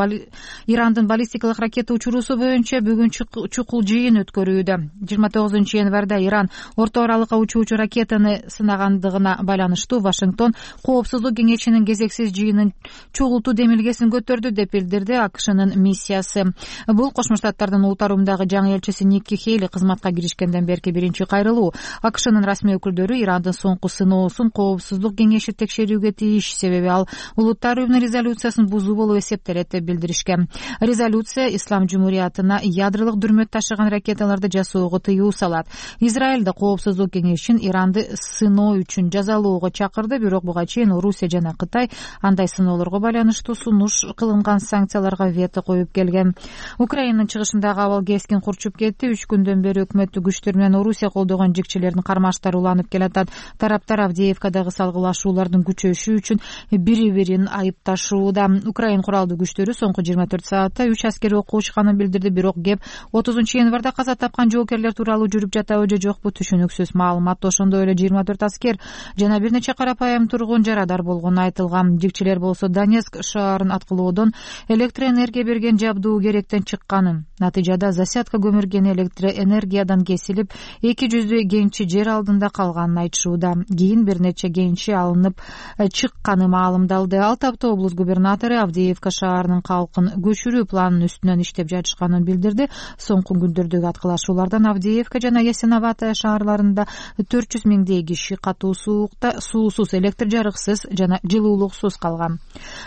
Ирандын баллистикалык ракета учуруусу боюнча бүгүн чукул жыйын өткөрүүдө. жыйырма тогузунчу январда Иран орто аралыкка учуучу ракета ракетаны сынагандыгына байланыштуу Вашингтон коопсуздук кеңешинин кезексиз жыйынын чогултуу демилгесин көтөрдү деп билдирди АКШнын миссиясы. Бул Кошмо Штаттардын улуттар уюмундагы жаңы элчиси Никки Хейли кызматка киришкенден берки биринчи кайрылуу. АКШнын расмий өкүлдөрү Ирандын соңку сыноосун коопсуздук кеңеши текшерүүгө тийиш, себеби ал улуттар уюмунун резолюциясын бузуу болуп эсептелет деп билдиришкен. Резолюция Ислам Жумуриятына ядролук дүрмөт ташыган ракеталарды жасоого тыюу салат. Израилда коопсуздук кеңешин Иран сыноо үчүн жазалоого чакырды, бирок буга чейин Орусия жана Кытай андай сыноолорго байланыштуу сунуш кылынган санкцияларга вето коюп келген. Украинанын чыгышындагы абал кескин курчуп кетти. Үч күндөн бери өкмөттүк күчтөр менен Орусия колдогон жикчилердин кармаштары уланып келатат. Тараптар Авдеевкадагы салгылашуулардын күчөшү үчүн бири-бирин айыпташууда. Украин куралдуу күчтөрү соңку жыйырма төрт саатта үч аскери окко учканын билдирди, бирок кеп отузунчу январда каза тапкан жоокерлер тууралуу жүрүп жатабы же жокпу түшүнүксүз. Маалымат ошондой эле жыйырма төрт аскер жана бир нече карапайым тургун жарадар болгону айтылган. Жикчилер болсо Донецк шаарын аткылоодон электр энергия берген жабдуу керектен чыкканын Натыйжада засядка көмүргени электр энергиядан кесилип, эки жүздөй кенчи жер алдында калганын айтышууда. Кийин бир нече кенчи алынып чыкканы маалымдалды. Ал тапта облус губернатору Авдеевка шаарынын калкын көчүрүү планынын үстүнөн иштеп жатышканын билдирди. Соңку күндөрдөгү аткылашуулардан Авдеевка жана Ясиноватая шаарларында төрт жүз миңдей киши катуу суукта, суусуз, электр жарыксыз жана жылуулуксуз калган.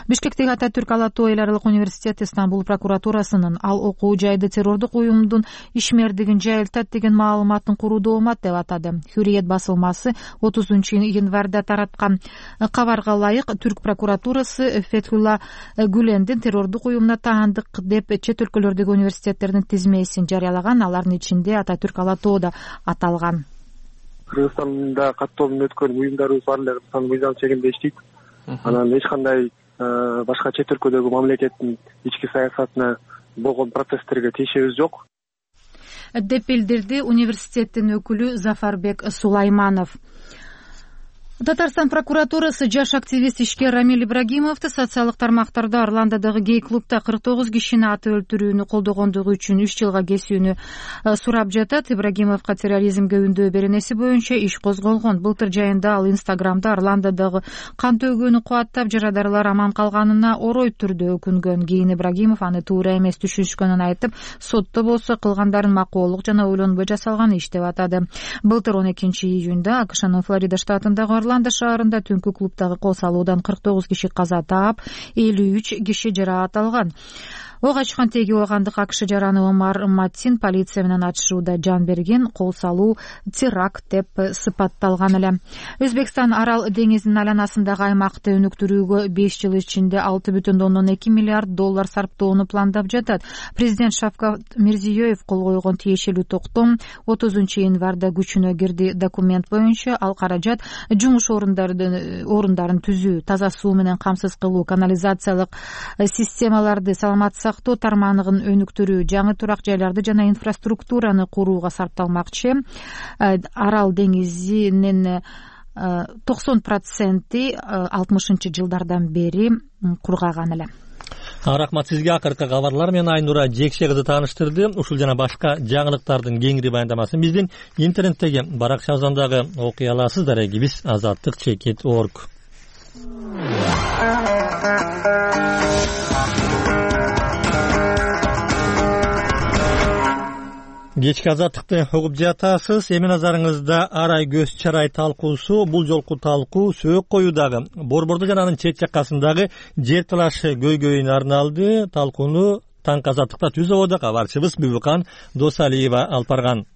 Бишкектеги Ататүрк ала тоо эл аралык университети Стамбул прокуратурасынын ал окуу жайды террордук уюмдун ишмердигин жайылтат деген маалыматын куруу доомат деп атады. Hürriyet басылмасы отузунчу январда тараткан кабарга ылайык Түрк прокуратурасы Фетхулла Гүлендин террордук уюмуна таандык деп чет өлкөлөрдөгү университеттердин тизмесин жарыялаган. Алардын ичинде Ататүрк ала тоо да аталган. Кыргызстанда каттоолун өткөн уюмдарыбыз бар эле Кыргызстан мыйзам чегинде иштейт. Анан эч кандай башка чет өлкөдөгү мамлекеттин ички саясатына болгон процесстерге тиешебиз жок деп билдирди университеттин өкүлү Зафарбек Сулайманов. Татарстан прокуратурасы жаш активист ишкер Рамиль Ибрагимовду социалдык тармактарда Орландодогу гей-клубда кырк тогуз кишини атып өлтүрүүнү колдогондугу үчүн үч жылга кесүүнү сурап жатат. Ибрагимовго терроризмге үндөө беренеси боюнча иш козголгон. Былтыр жайында ал Инстаграмда Орландодогу кан төгүүнү кубаттап, жарадарлар аман калганына орой түрдө өкүнгөн. Кийин Ибрагимов аны туура эмес түшүнүшкөнүн айтып, сотто болсо кылгандарын макоолук жана ойлонбой жасалган иш деп атады. Былтыр он экинчи июнда АКШнын Флорида штатындагы Орландо шаарында түнкү клубдагы кол салуудан кырк тогуз киши каза таап, элүү үч киши жараат алган. Ок ачкан теги оогандык АКШ жараны Омар Маттин полиция менен ачышууда жан берген. Кол салуу теракт деп сыпатталган эле. Өзбекстан Арал деңизинин айланасындагы аймакты өнүктүрүүгө беш жыл ичинде алты бүтүн ондон эки миллиард доллар сарптоону пландап жатат. Президент Шавкат Мирзиёев кол койгон тиешелүү токтом отузунчу январда күчүнө кирди. Документ боюнча ал каражат жумуш орундарын орундарын түзүү, таза суу менен камсыз кылуу, канализациялык системаларды, саламат сактоо тармагын өнүктүрүү, жаңы турак жайларды жана инфраструктураны курууга сарпталмакчы. Арал деңизинин токсон проценти алтымышынчы жылдардан бери кургаган эле. Рахмат сизге. Акыркы кабарлар менен Айнура Жекше кызы тааныштырды. Ушул жана башка жаңылыктардын кеңири баяндамасын биздин интернеттеги баракчабыздан дагы окуй аласыздар. Биз азаттык чекит точка орг. Кечки азаттыкты угуп жатасыз. Эми назарыңызда арай көз чарай талкуусу. Бул жолку талкуу сөөк коюдагы Борбордо жана анын чет жаккасындагы жер талашы көйгөйүнө арналды. Талкууну Таң азаттыкта түз ободо кабарчыбыз Бүбүкан Досалиева алып барган.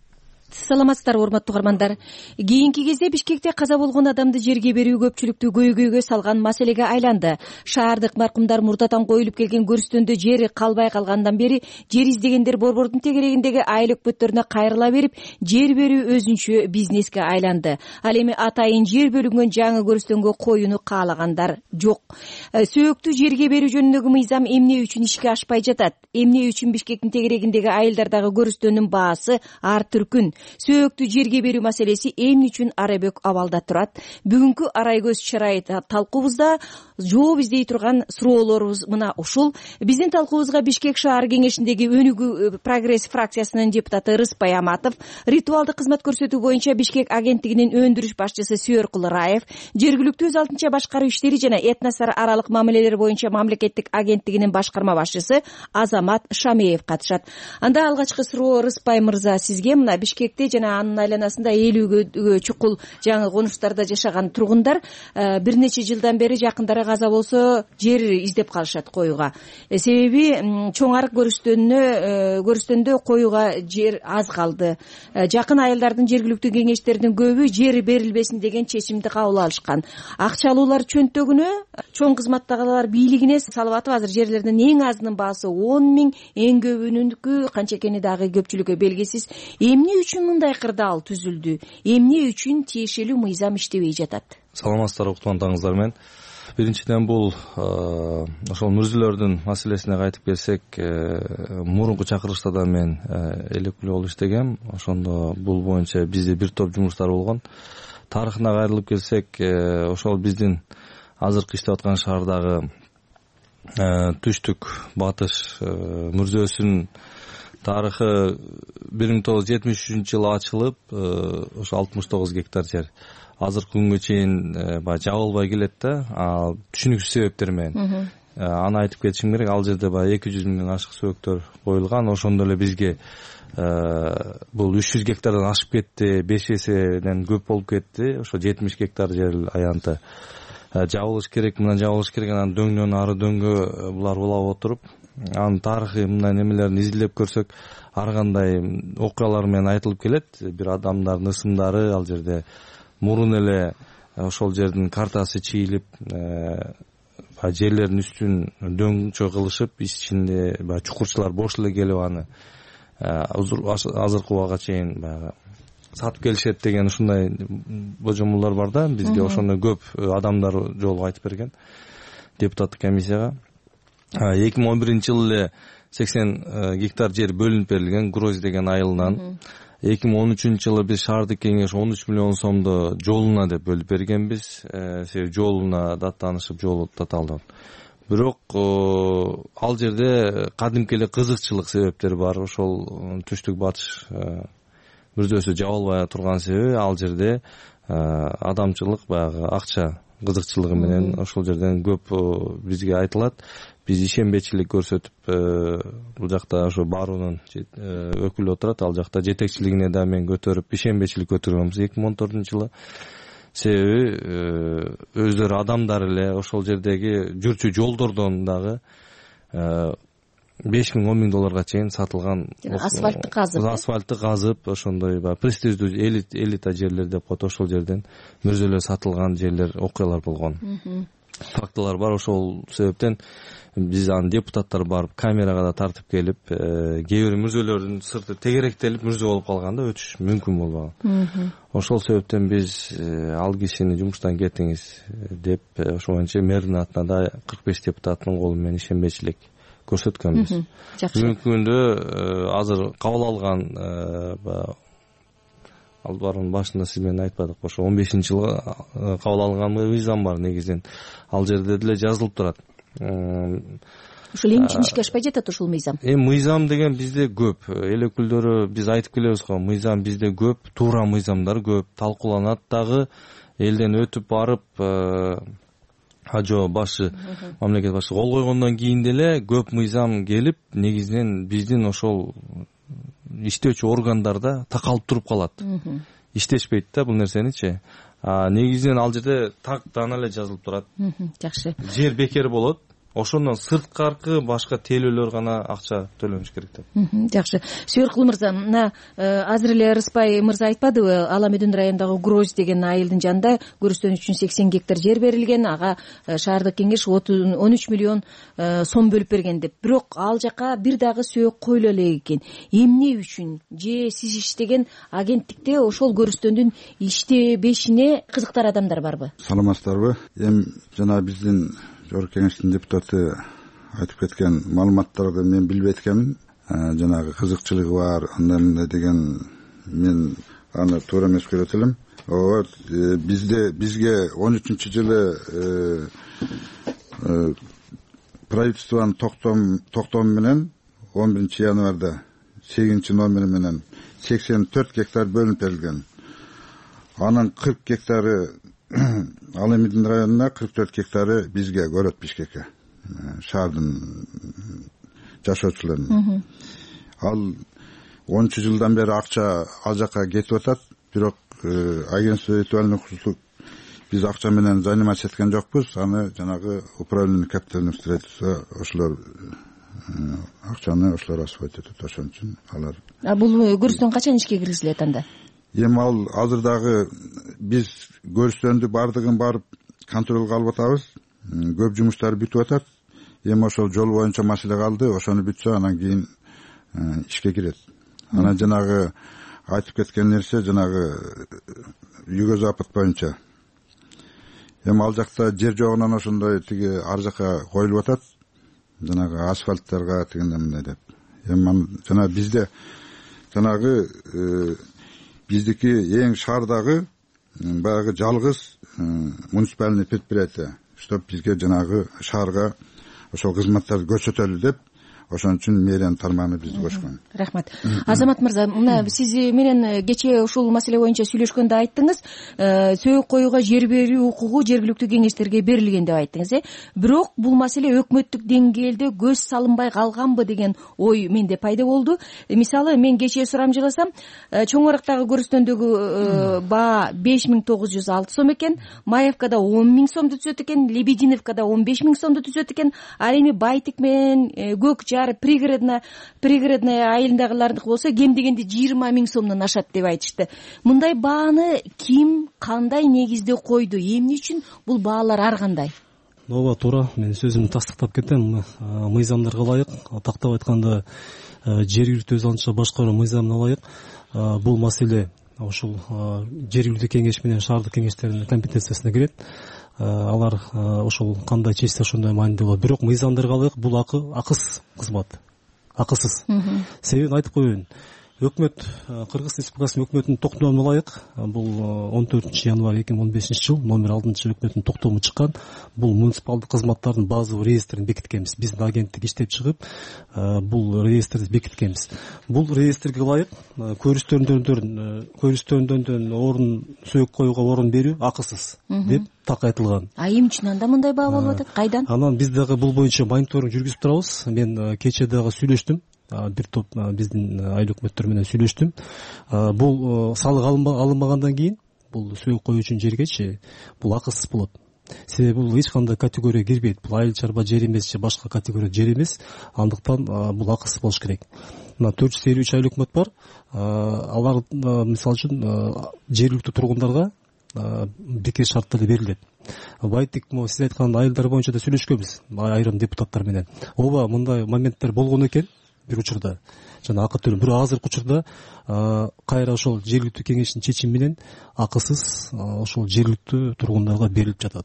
Саламатсыздар урматтуу угармандар. Кийинки кезде Бишкекте каза болгон адамды жерге берүү көпчүлүктү көйгөйгө салган маселеге айланды. Шаардык маркумдар мурдатан коюлуп келген көрүстөндө жери калбай калгандан бери жер издегендер борбордун тегерегиндеги айыл өкмөттөрүнө кайрыла берип, жер берүү өзүнчө бизнеске айланды. Ал эми атайын жер бөлүнгөн жаңы көрүстөнгө коюуну каалагандар жок. Сөөктү жерге берүү жөнүндөгү мыйзам эмне үчүн ишке ашпай жатат? Эмне үчүн Бишкектин тегерегиндеги айылдардагы көрүстөндүн баасы ар түркүн? Сөөктү жерге берүү маселеси эмне үчүн арабөк абалда турат? Бүгүнкү арай көз чарай талкуубузда жооп издей турган суроолорубуз мына ушул. Биздин талкуубузга Бишкек шаар кеңешиндеги Өнүгүү прогресс фракциясынын депутаты Рыспай Аматов, ритуалдык кызмат көрсөтүү боюнча Бишкек агенттигинин өндүрүш башчысы Сүйөркул Раев, жергиликтүү өз алдынча башкаруу иштери жана этностор аралык мамилелер боюнча мамлекеттик агенттигинин башкарма башчысы Азамат Шамеев катышат. Анда алгачкы суроо Рыспай мырза сизге. Мына Бишкекте жана анын айланасында элүүгө чукул жаңы конуштарда жашаган тургундар бир нече жылдан бери жакындары каза болсо жер издеп калышат коюуга. Себеби чоң арык көрүстөнүнө көрүстөндө коюуга жер аз калды. Жакын айылдардын жергиликтүү кеңештеринин көбү жер берилбесин деген чечимди кабыл алышкан. Акчалуулар чөнтөгүнө, чоң кызматтагылар бийлигине салып атып, азыр жерлердин эң азынын баасы он миң, эң көбүнүнкү канча экени дагы көпчүлүккө белгисиз. Эмне үчүн мындай кырдаал түзүлдү? Эмне үчүн тиешелүү мыйзам иштебей жатат? Саламатсыздар уктугандарыңыздар менен. Биринчиден бул ошол мүрзүлөрдүн маселесине кайтып келсек, мурунку чакырылышта да мен эл өкүлү болуп иштегем. Ошондо бул боюнча бизде бир топ жумуштар болгон. Тарыхына кайрылып келсек, ошол биздин азыркы иштеп аткан шаардагы түштүк батыш мүрзөсүн тарыхы бир миң тогуз жүз жетимиш үчүнчү жылы ачылып, ошо алтымыш тогуз гектар жер азыркы күнгө чейин баягы жабылбай келет да, түшүнүксүз себептер менен. Аны айтып кетишим керек. Ал жерде баягы эки жүз миңден ашык сөбөктөр коюлган. Ошондо эле бизге бул үч жүз гектардан ашып кетти, беш эседен көп болуп кетти. Ошо жетимиш гектар жер аянты жабылыш керек, мына жабылыш керек, анан дөңнөн ары дөңгө булар улап отуруп, анын тарыхый мындай немелерин изилдеп көрсөк, ар кандай окуялар менен айтылып келет. Бир адамдардын ысымдары ал жерде мурун эле ошол жердин картасы чийилип, жерлердин үстүн дөңчө кылышып, ичинде баягы чукурчулар бош эле келип аны азыркы убакка чейин баягы сатып келишет деген ушундай божомолдор бар да. Бизге ошондой көп адамдар жолугуп айтып берген депутаттык комиссияга. эки миң он биринчи жылы эле сексен гектар жер бөлүнүп берилген Гроз деген айылынан. эки миң он үчүнчү жылы биз шаардык кеңеш он үч миллион сомду жолуна деп бөлүп бергенбиз. Себеби жолуна даттанышып, жолу таталды. Бирок ал жерде кадимки эле кызыкчылык себептери бар. Ошол түштүк батыш мүрзөсү жабылбай турган себеби ал жерде адамчылык, баягы акча кызыкчылыгы менен ошол жерден көп бизге айтылат. Биз ишенбечилик көрсөтүп, бул жакта ошо баруунун өкүлү отурат, ал жакта жетекчилигине да мен көтөрүп, ишенбечилик көтөргөнбүз эки миң он төртүнчү жылы. Себеби өздөрү адамдар эле ошол жердеги жүрчү жолдордон дагы беш миң он миң долларга чейин сатылган. Асфальтты казып, асфальтты казып, ошондой баягы престиждүү элита жерлер деп коет, ошол жерден мүрзөлөр сатылган жерлер, окуялар болгон. Фактылар бар. Ошол себептен биз аны депутаттар барып камерага да тартып келип, кээ бир мүрзөлөрдүн сырты тегеректелип мүрзө болуп калганда өтүш мүмкүн болбаган. Ошол себептен биз ал кишини жумуштан кетиңиз деп, ошол боюнча мэрдин атына да кырк беш депутаттын колу менен ишенбечилик көрсөткөнбүз. Мүмкүндө азыр кабыл алган, ал барынын башында сиз менен айтпадык, ошо он бешинчи жылы кабыл алган мыйзам бар негизинен. Ал жерде деле жазылып турат. Ошол эмне үчүн ишке ашпай жатат ошол мыйзам? Эми мыйзам деген бизде көп. Эл өкүлдөрү биз айтып келебиз го, мыйзам бизде көп, туура мыйзамдар көп, талкууланат дагы, элден өтүп барып, ажо башы, мамлекет башы кол койгондон кийин деле көп мыйзам келип, негизинен биздин ошол иштөөчү органдарда такалып туруп калат. Иштешпейт да бул нерсеничи. Негизинен ал жерде так дана эле жазылып турат. Жакшы. Жер бекер болот. Ошондон сырткаркы башка тейлөөлөр гана акча төлөнүш керек деп. Жакшы. Сүйөркул мырза, мына азыр эле Рыспай мырза айтпадыбы, Ала Медүн районундагы Гроз деген айылдын жанында көрүстөн үчүн сексен гектар жер берилген, ага шаардык кеңеш он үч миллион сом бөлүп берген деп. Бирок ал жака бир дагы сөйөк коюла элек экен. Эмне үчүн? Же сиз иштеген агенттикте ошол көрүстөндүн иштебешине кызыктар адамдар барбы? Саламатсыздарбы? Эми жана биздин жогорку кеңештин депутаты айтып кеткен маалыматтарды мен билбейт экенмин. Жанагы кызыкчылыгы бар, андай мындай деген мен аны туура эмес көрөт элем. Ооба, бизде бизге он үчүнчү жылы правительствонун токтому менен он биринчи январда сегизинчи номери менен сексен төрт гектар бөлүнүп берилген. Анын кырк гектары Ала Медүн районуна, кырк төрт гектары бизге, Город Бишкекке, шаардын жашоочуларына. Ал онунчу жылдан бери акча ал жака кетип атат, бирок агентство ритуальных услуг биз акча менен заниматься эткен жокпуз. Аны жанагы управление капитального строительства ошолор акчаны ошолор освоить этет. Ошон үчүн алар. А бул көрүстөн качан ишке киргизилет анда? Эми ал азырдагы биз көрүстөндү бардыгын барып контролго алып атабыз. Көп жумуштар бүтүп атат. Эми ошол жол боюнча маселе калды. Ошону бүтсө анан кийин ишке кирет. Анан жанагы айтып кеткен нерсе жанагы юго-запад боюнча. Эми ал жакта жер жогунан ошондой тиги ар жака коюлуп атат. Жанагы асфальттарга тигиндей мындай деп. Эми жана бизде жанагы биздики эң шаардагы баягы жалгыз муниципальный предприятие, чтоб бизге жанагы шаарга ошол кызматтарды көрсөтөлү деп ошон үчүн мэриянын тармагына бизди кошкон. Рахмат. Азамат мырза, мына сиз менен кечээ ушул маселе боюнча сүйлөшкөндө айттыңыз, сөөк коюуга жер берүү укугу жергиликтүү кеңештерге берилген деп айттыңыз, э? Бирок бул маселе өкмөттүк деңгээлде көз салынбай калганбы деген ой менде пайда болду. Мисалы, мен кечээ сурамжыласам, Чоң Арактагы көрүстөндөгү баа беш миң тогуз жүз алты сом экен, Маевкада он миң сомду түзөт экен, Лебединовкада он беш миң сомду түзөт экен, ал эми Байтик менен Көк Жар, пригородная пригородная айылдагылардыкы болсо кем дегенде жыйырма миң сомдон ашат деп айтышты. Мындай бааны ким, кандай негизде койду? Эмне үчүн бул баалар ар кандай? Ооба, туура. Мен сөзүмдү тастыктап кетем. Мыйзамдарга ылайык, тактап айтканда жергиликтүү өз алдынча башкаруу мыйзамына ылайык бул маселе ушул жергиликтүү кеңеш менен шаардык кеңештердин компетенциясына кирет. Алар ошол кандай чечсе ошондой маанилүү болот. Бирок мыйзамдарга ылайык бул акысыз кызмат. Акысыз. Себебин айтып коеюн. Өкмөт, Кыргыз Республикасынын өкмөтүнүн токтомуна ылайык, бул он төртүнчү январь эки миң он бешинчи жыл номер алтынчы өкмөттүн токтому чыккан. Бул муниципалдык кызматтардын базовый реестрин бекиткенбиз. Биздин агенттик иштеп чыгып, бул реестрди бекиткенбиз. Бул реестрге ылайык көрүстөрүндөн көрүстөрүндөн орун сөөк коюуга орун берүү акысыз деп так айтылган. А эмне үчүн анда мындай баа болуп атат? Кайдан? Анан биз дагы бул боюнча мониторинг жүргүзүп турабыз. Мен кечээ дагы сүйлөштүм. Бир топ биздин айыл өкмөттөр менен сүйлөштүм. Бул салык алынбагандан кийин бул сөөк коюу үчүн жергечи бул акысыз болот. Себеби бул эч кандай категорияга кирбейт. Бул айыл чарба жер эмес же башка категория жер эмес. Андыктан бул акысыз болуш керек. Мына төрт жүз элүү үч айыл өкмөт бар. Алар мисалы үчүн жергиликтүү тургундарга бекер шарттарда берилет. Байтик, сиз айткан айылдар боюнча да сүйлөшкөнбүз айрым депутаттар менен. Ооба, мындай моменттер болгон экен. Бир учурда жана акы төлөм. Бирок азыркы учурда кайра ошол жергиликтүү кеңештин чечими менен акысыз ошол жергиликтүү тургундарга берилип жатат.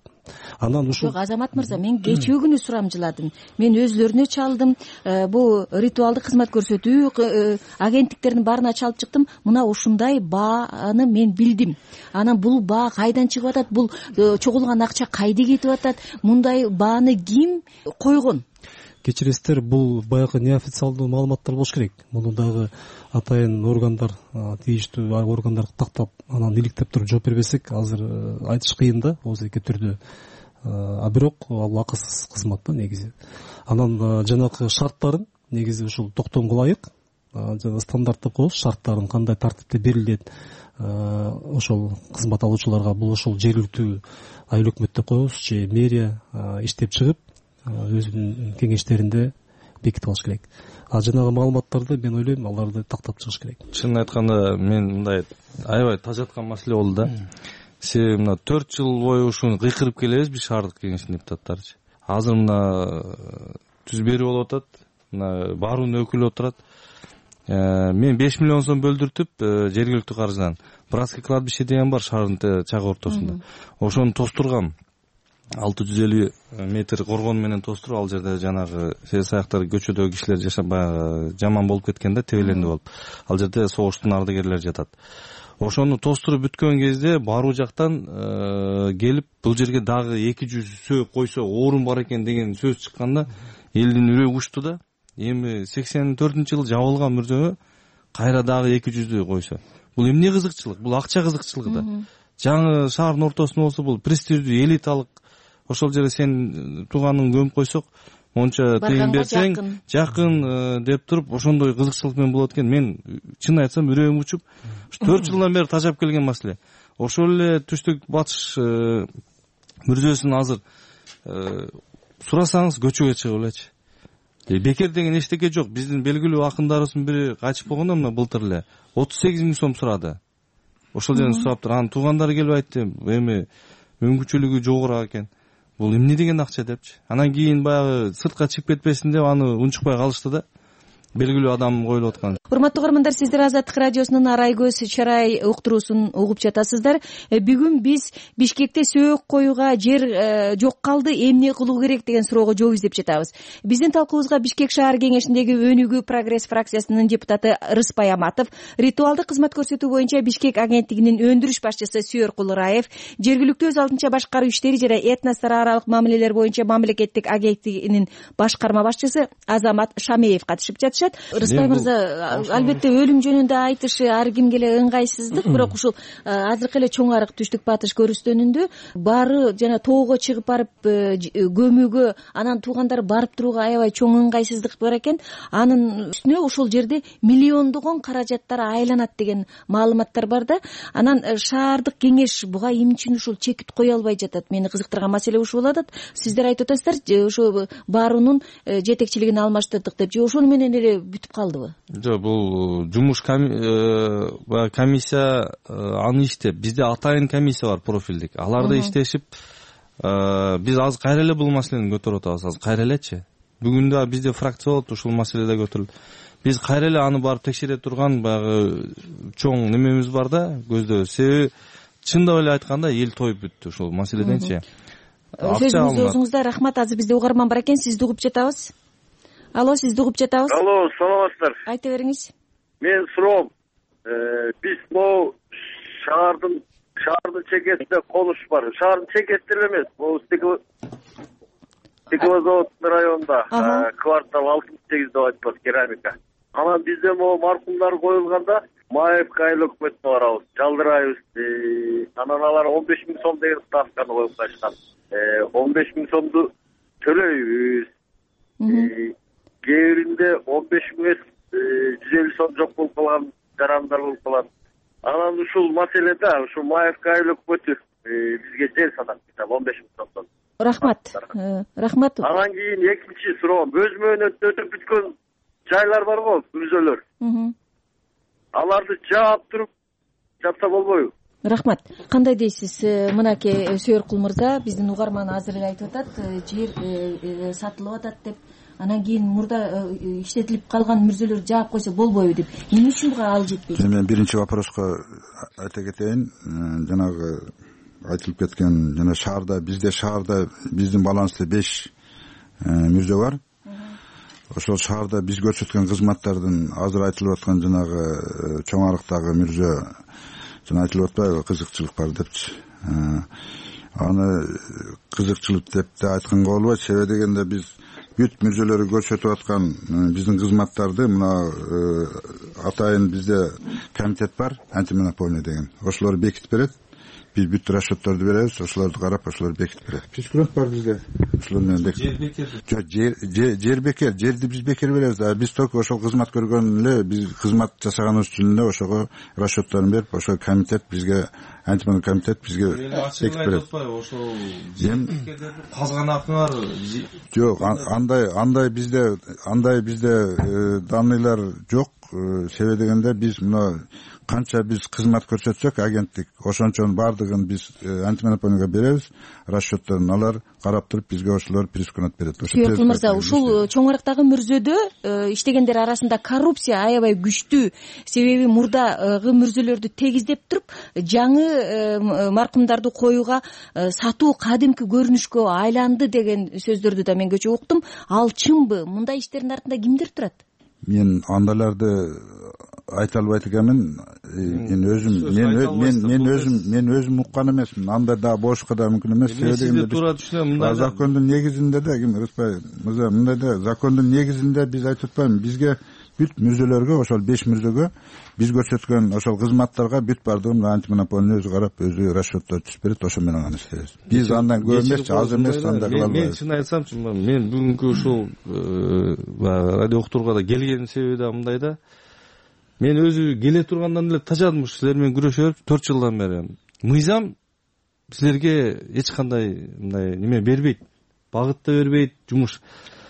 Анан ушул Азамат мырза, мен кечээ күнү сурамжыладым. Мен өзлөрүнө чалдым. Бул ритуалдык кызмат көрсөтүү агенттиктердин баарына чалып чыктым. Мына ушундай бааны мен билдим. Анан бул баа кайдан чыгып атат? Бул чогулган акча кайда кетип атат? Мындай бааны ким койгон? Кечиресиздер, бул баягы неофициалдуу маалыматтар болуш керек. Муну дагы атайын органдар, тийиштүү органдар тактап, анан иликтеп туруп жооп бербесек, азыр айтыш кыйын да, оозеки түрдө. А бирок ал акысыз кызмат да негизи. Анан жанагы шарттарын негизи ушул токтомго ылайык жана стандарттап коебуз, шарттарын кандай тартипте берилет ошол кызмат алуучуларга, бул ошол жергиликтүү айыл өкмөт деп коебуз же мэрия иштеп чыгып өзүнүн кеңештеринде бекитип алыш керек. А жанагы маалыматтарды мен ойлойм, аларды тактап чыгыш керек. Чынын айтканда, мен мындай аябай тажаткан маселе болду да. Себеби мына төрт жыл бою ушуну кыйкырып келебиз биз шаардык кеңештин депутаттары. Азыр мына түз берүү болуп атат, мына баруунун өкүлү отурат. Мен беш миллион сом бөлдүртүп жергиликтүү каржыдан братский кладбище деген бар шаардын чак ортосунда. Ошону тостургам. алты жүз элүү метр коргон менен тостуруп, ал жерде жанагы сез аяктар көчөдөгү кишилер жашап баягы жаман болуп кеткен да, тебелендүү болуп. Ал жерде согуштун ардагерлери жатат. Ошону тостуруп бүткөн кезде баруу жактан келип бул жерге дагы эки жүз сөөк койсо орун бар экен деген сөз чыкканда элдин үрөгү учту да. Эми сексен төртүнчү жылы жабылган мүрзөгө кайра дагы эки жүздү койсо. Бул эмне кызыкчылык? Бул акча кызыкчылыгы да. Жаңы шаардын ортосунда болсо бул престиждүү, элиталык, ошол жерде сен тууганың көмүп койсок, монча тыйын берсең, жакын деп туруп, ошондой кызыкчылык менен болот экен. Мен чын айтсам үрөгүм учуп, төрт жылдан бери тажап келген маселе. Ошол эле түштүк батыш мүрзөсүн азыр сурасаңыз көчөгө чыгып элечи. Бекер деген эчтеке жок. Биздин белгилүү акындарыбыздын бири качып койгондо мына былтыр эле отуз сегиз миң сом сурады. Ошол жерден сураптыр. Анын туугандары келип айтты, эми мүмкүнчүлүгү жогору экен. Бул эмне деген акча депчи. Анан кийин баягы сыртка чыгып кетпесин деп аны унчукпай калышты да. белгилүү адам коюлуп аткан. Урматтуу угармандар, сиздер Азаттык радиосунун Арай көз чарай уктуруусун угуп жатасыздар. Бүгүн биз Бишкекте сөөк коюуга жер жок калды, эмне кылуу керек деген суроого жооп издеп жатабыз. Биздин талкуубузга Бишкек шаар кеңешиндеги Өнүгүү прогресс фракциясынын депутаты Рыспай Аматов, ритуалдык кызмат көрсөтүү боюнча Бишкек агенттигинин өндүрүш башчысы Сүйөр Кулураев, жергиликтүү өз алдынча башкаруу иштери жана этностор аралык мамилелер боюнча мамлекеттик агенттигинин башкарма башчысы Азамат Шамеев катышып жатышат. Рыспай мырза, албетте өлүм жөнүндө айтышы ар кимге эле ыңгайсыздык, бирок ушул азыркы эле чоң арык түштүк батыш көрүстөнүндө баары жана тоого чыгып барып көмүүгө, анан туугандары барып турууга аябай чоң ыңгайсыздык бар экен. Анын үстүнө ошол жерде миллиондогон каражаттар айланат деген маалыматтар бар да. Анан шаардык кеңеш буга эмне үчүн ушул чекит кое албай жатат? Мени кызыктырган маселе ушул болуп атат. Сиздер айтып атасыздар, ошо баарунун жетекчилигин алмаштырдык деп, же ошону менен эле бүтүп калдыбы? Жок, бул жумуш комиссия аны иштеп, бизде атайын комиссия бар, профилдик. Аларда иштешип, биз азыр кайра эле бул маселени көтөрүп атабыз. Азыр кайра элечи. Бүгүн да бизде фракция болот, ушул маселеде көтөрүлдү. Биз кайра эле аны барып текшере турган баягы чоң немебиз бар да, көздө. Себеби чындап эле айтканда эл тоюп бүттү ушул маселеденчи. Сөзүңүз өзүңүздө. Рахмат. Азыр бизде угарман бар экен, сизди угуп жатабыз. Алло, сизди угуп жатабыз. Алло, саламатсыздар. Айта бериңиз. Мен суроом, биз могу шаардын шаардын чекесинде конуш бар. Шаардын чекесинде эле эмес, могу стеклозавод районунда квартал алтымыш сегиз деп айтпас, керамика. Анан бизде могу маркумдар коюлганда Маевка айыл өкмөтүнө барабыз, жалдырайбыз. Анан алар он беш миң сом деген ставканы коюп коюшкан. он беш миң сомду төлөйбүз. Кээ биринде он беш миң жүз элүү сом жок болуп калган жарандар болуп калат. Анан ушул маселеде ушул Маевка айыл өкмөтү бизге жер санап жатат он беш миң сомдон. Рахмат. Рахмат. Анан кийин экинчи суроом, өз мөөнөтүнө өтүп бүткөн жайлар бар го, мүрзөлөр. Аларды жаап туруп жатса болбойбу? Рахмат. Кандай дейсиз? Мынакей Сүйөр Кул мырза, биздин угарман азыр эле айтып атат, жер сатылып атат деп. Анан кийин мурда иштетилип калган мүрзөлөр жаап койсо болбойбу деп. Эмне үчүн буга ал жетпейт? Мен биринчи вопроска айта кетейин. Жанагы айтылып кеткен, жана шаарда, бизде шаарда биздин балансты беш мүрзө бар. Ошол шаарда биз көрсөткөн кызматтардын азыр айтылып аткан жанагы чоң арыктагы мүрзө жана айтылып атпайбы, кызыкчылык бар депчи. Аны кызыкчылык деп да айтканга болбойт. Себеби дегенде биз бүт мүрзөлөрү көрсөтүп аткан биздин кызматтарды мына атайын бизде комитет бар, антимонополия деген. Ошолор бекитип берет. Биз бүт расчетторду беребиз, ошолорду карап, ошолор бекитип берет. Прескурант бар бизде. Ошолор менен бекитип. Жер бекер. Жер жер бекер, жерди биз бекер беребиз. А биз только ошол кызмат көргөн эле, биз кызмат жасаганыбыз үчүн эле ошого расчетторун берип, ошол комитет бизге, антимонополия комитет бизге бекитип берет. Ошол казган акыңар жок, андай андай бизде андай бизде данныйлар жок. Себеби дегенде биз мына канча биз кызмат көрсөтсөк агенттик, ошончон баардыгын биз антимонополияга беребиз, расчетторун алар карап туруп бизге ошолор прескурант берет. Сүйөр Кул мырза, ушул чоң арыктагы мүрзөдө иштегендер арасында коррупция аябай күчтүү. Себеби мурдагы мүрзөлөрдү тегиздеп туруп, жаңы маркумдарды коюуга сатуу кадимки көрүнүшкө айланды деген сөздөрдү да мен көчө уктум. Ал чынбы? Мындай иштердин артында кимдер турат? Мен андайларды айта албайт экенмин. Мен өзүм мен мен мен өзүм мен өзүм уккан эмесмин. Андай да бошко да мүмкүн эмес. Себеби закондун негизинде да ким Рыспай мырза, мындай да закондун негизинде биз айтып атпаймынбы, бизге бүт мүрзөлөргө, ошол беш мүрзөгө биз көрсөткөн ошол кызматтарга бүт бардыгын антимонополия өзү карап, өзү расчеттор түзүп берет, ошо менен гана иштейбиз. Биз андан көп эмес, аз эмес, андай кыла албайбыз. Мен чын айтсамчы, мен бүгүнкү ушул радио уктурууга келгеним себеби да мындай да. Мен өзү келе тургандан эле тажадым, силер менен күрөшө берип төрт жылдан бери. Мыйзам силерге эч кандай мындай неме бербейт, багыт да бербейт, жумуш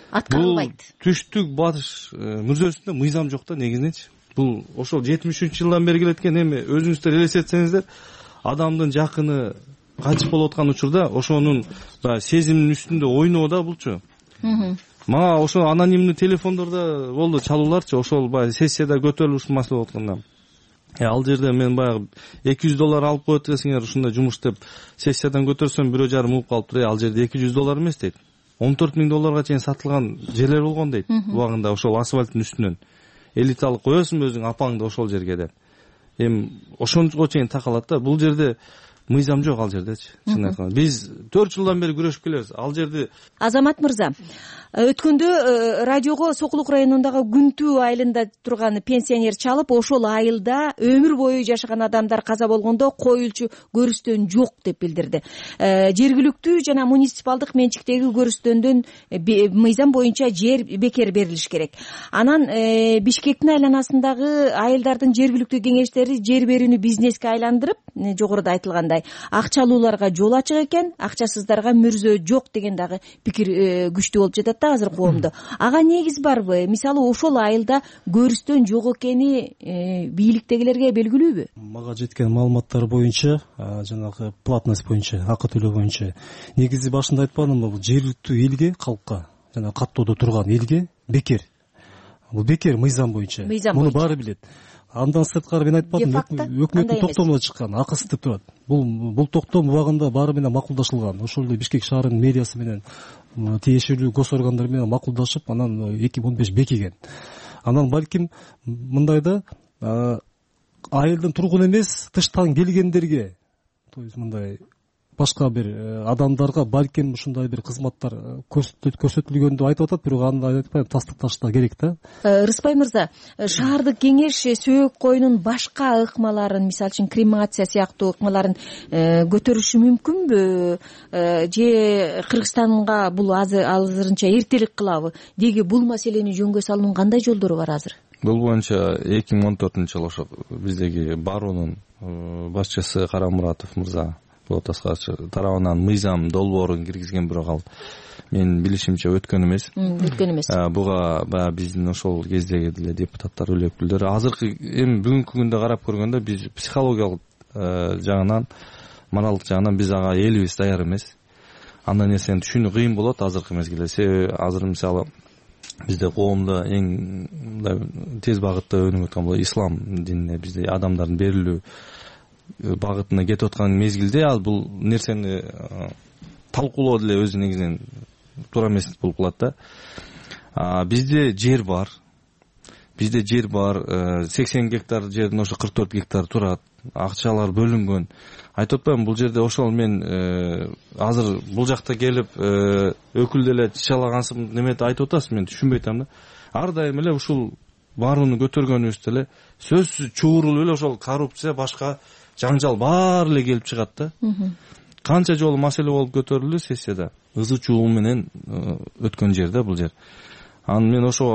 аткарылбайт. Түштүк батыш мүрзөсүндө мыйзам жок да негизиненчи. Бул ошол жетимиш үчүнчү жылдан бери келеткен эми өзүңүздөр элестетсеңиздер, адамдын жакыны кайтыш болуп аткан учурда ошонун баягы сезимдин үстүндө ойноо да булчу. мага ошо анонимный телефондордо болду чалууларчы, ошол баягы сессияда көтөрүлүп ушул маселе болуп атканда. Ал жерде мен баягы эки жүз доллар алып коет десеңер ушундай жумуш деп сессиядан көтөрсөм бирөө жарым угуп калыптыр. Ал жерде эки жүз доллар эмес дейт. он төрт миң долларга чейин сатылган жерлер болгон дейт. Убагында ошол асфальттын үстүнөн элиталык коесуң өзүң апаңды ошол жерге деп. Эми ошонго чейин такалат да. Бул жерде мыйзам жок ал жердечи. Чын айтканда биз төрт жылдан бери күрөшүп келебиз. Ал жерде Азамат мырза, өткөндө радиого Сокулук районундагы Күнтүү айылында турган пенсионер чалып, ошол айылда өмүр бою жашаган адамдар каза болгондо коюлчу көрүстөн жок деп билдирди. Жергиликтүү жана муниципалдык менчиктеги көрүстөндөн мыйзам боюнча жер бекер берилиш керек. Анан Бишкектин айланасындагы айылдардын жергиликтүү кеңештери жер берүүнү бизнеске айландырып, жогоруда айтылгандай, акчалууларга жол ачык экен, акчасыздарга мүрзө жок деген дагы пикир күчтүү болуп жатат да азыр коомдо. Ага негиз барбы? Мисалы ошол айылда көрүстөн жок экени бийликтегилерге белгилүүбү? Мага жеткен маалыматтар боюнча, жанагы платность боюнча, акы төлөө боюнча негизи башында айтпадымбы, бул жергиликтүү элге, калкка, жана каттоодо турган элге бекер. Бул бекер мыйзам боюнча. Муну баары билет. Андан сырткары мен айтпадым, өкмөттүн токтомунда чыккан, акысыз деп турат. Бул бул токтом убагында баары менен макулдашылган. Ошол эле Бишкек шаарынын мэриясы менен тиешелүү гос органдар менен макулдашып, анан эки миң он беш бекиген. Анан балким мындай да, айылдын тургуну эмес, тыштан келгендерге, то есть мындай башка бир адамдарга балким ушундай бир кызматтар көрсөтүлгөн деп айтып атат, бирок аны айтпайм, тастыкташ да керек да. Рыспай мырза, шаардык кеңеш сөөк коюнун башка ыкмаларын, мисалы үчүн кремация сыяктуу ыкмаларын көтөрүшү мүмкүнбү? Же Кыргызстанга бул азырынча эртелик кылабы? Деги бул маселени жөнгө салуунун кандай жолдору бар азыр? Бул боюнча эки миң он төртүнчү жылы ошо биздеги баруунун башчысы Карамуратов мырза тарабынан мыйзам долбоорун киргизген, бирок ал менин билишимче өткөн эмес. Өткөн эмес. Буга баягы биздин ошол кездеги деле депутаттар, үлөкүлдөр азыркы эми бүгүнкү күндө карап көргөндө биз психологиялык жагынан, моралдык жагынан биз ага элибиз даяр эмес. Андай нерсени түшүнүү кыйын болот азыркы мезгилде. Себеби азыр мисалы бизде коомдо эң тез багытта өнүгүп аткан бул ислам динине бизде адамдардын берилүү багытына кетип аткан мезгилде ал бул нерсени талкуулоо деле өзү негизинен туура эмес болуп калат да. Бизде жер бар. Бизде жер бар. сексен гектар жердин ошо кырк төрт гектар турат. Акчалар бөлүнгөн. Айтып атпаймынбы, бул жерде ошол мен азыр бул жакта келип өкүл деле чычалагансып неметип айтып атасыз, мен түшүнбөй атам да. Ар дайым эле ушул баарууну көтөргөнүбүз деле сөзсүз чуурулуп эле ошол коррупция, башка жаңжал баары эле келип чыгат да. Канча жолу маселе болуп көтөрүлдү сессияда. Ызы чуу менен өткөн жер да бул жер. Анан мен ошо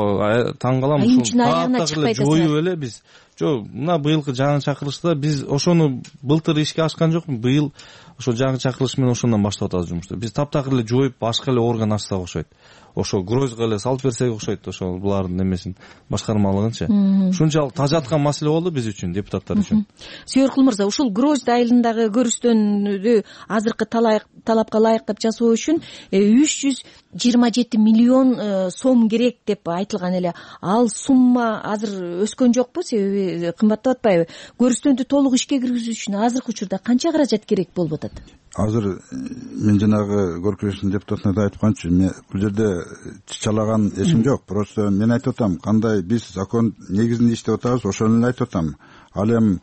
таң калам, ушул жоюп эле биз. Жок, мына быйылкы жаңы чакырылышта биз ошону былтыр ишке ашкан жокпу, быйыл ошо жаңы чакырылыш менен ошондон баштап атабыз жумушту. Биз таптакыр эле жоюп, башка эле орган ачсак окшойт. Ошо грозго эле салып берсек окшойт, ошо булардын эмесин, башкармалыгынчы. Ушунчалык тажаткан маселе болду биз үчүн, депутаттар үчүн. Сүйөркул мырза, ушул Гроз айылындагы көрүстөндү азыркы талапка ылайыктап жасоо үчүн үч жүз жыйырма жети миллион сом керек деп айтылган эле. Ал сумма азыр өскөн жокпу? Себеби кымбаттап атпайбы? Көрүстөндү толук ишке киргизүү үчүн азыркы учурда канча каражат керек болуп атат? Азыр мен жанагы көркөмүштүн депутатына да айтканчы, бул жерде чычалаган эсим жок. Просто мен айтып атам, кандай биз закон негизинде иштеп атабыз, ошону эле айтып атам. Ал эми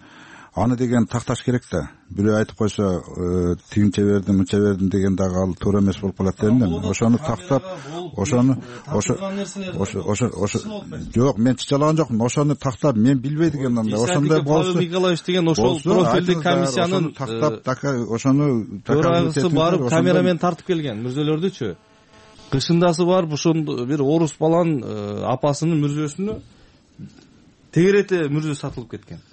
аны деген такташ керек да. Бирөө айтып койсо, тигинче бердим, мынча бердим деген дагы ал туура эмес болуп калат да эми. Ошону тактап, ошону ошо ошо ошо жок, мен чычалаган жокмун. Ошону тактап, мен билбей деген андай, ошондой болсо Павел Николаевич деген ошол профилдик комиссиянын тактап, ошону төрагасы барып камерамен тартып келген мүрзөлөрдүчү. Кышындасы барып ошондо бир орус баланын апасынын мүрзөсүнө тегерете мүрзө сатылып кеткен.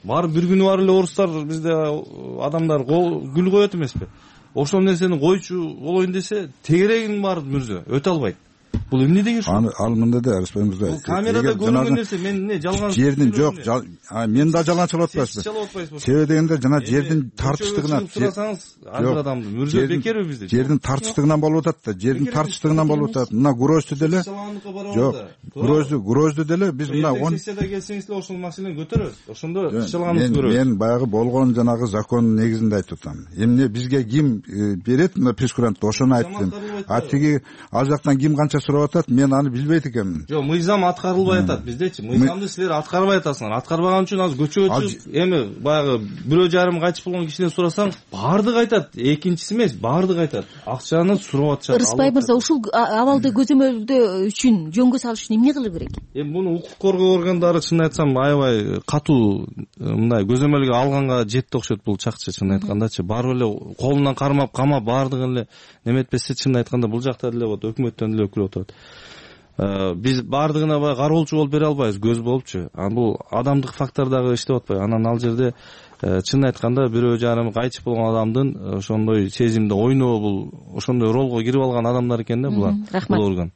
Барып бир күнү бар эле орустар бизде адамдар гүл коет эмеспи? Ошол нерсени койчу болоюн десе, тегерегин бар мүрзө өтө албайт. бул эмне деген ушул? Ал мындай да Арыспай мырза. Бул камерада көрүнгөн нерсе мен эмне жалган жердин жок, мен да жалганчылап атпайсызбы? Себеби дегенде жана жердин тартыштыгынан сурасаңыз ар бир адамдын мөрзө бекерби бизде? Жердин тартыштыгынан болуп атат да, жердин тартыштыгынан болуп атат. Мына Грозду деле. Жок, Грозду, Грозду деле биз мына он сессияда келсеңиз эле ошол маселени көтөрөбүз. Ошондо иш жалганыбызды көрөбүз. Мен баягы болгон жанагы закондун негизинде айтып атам. Эмне бизге ким берет мына прескурантты, ошону айттым. А тиги ал жактан ким канча сурап атат, мен аны билбейт экенмин. Жок, мыйзам аткарылбай атат биздечи. Мыйзамды силер аткарбай атасыңар. Аткарбаган үчүн азыр көчөгө чыгып, эми баягы бирөө жарым кайтып болгон кишиден сурасаң, баардыгы айтат. Экинчиси эмес, баардыгы айтат. Акчаны сурап атышат. Рыспай мырза, ушул абалды көзөмөлдөө үчүн жөнгө салыш үчүн эмне кылуу керек? Эми муну укук коргоо органдары чын айтсам аябай катуу мындай көзөмөлгө алганга жетти окшойт бул чакчы, чын айткандачы. Барып эле колунан кармап, камап баардыгын эле неметпесе, чын айтканда бул жакта деле вот өкмөттөн деле өкүл отурат. Биз баардыгына баягы кароолчу болуп бере албайбыз, көз болупчу. А бул адамдык фактор дагы иштеп атпайбы. Анан ал жерде чын айтканда бирөө жарым кайтып болгон адамдын ошондой сезимде ойноо, бул ошондой ролго кирип алган адамдар экен да булар. Бул орган.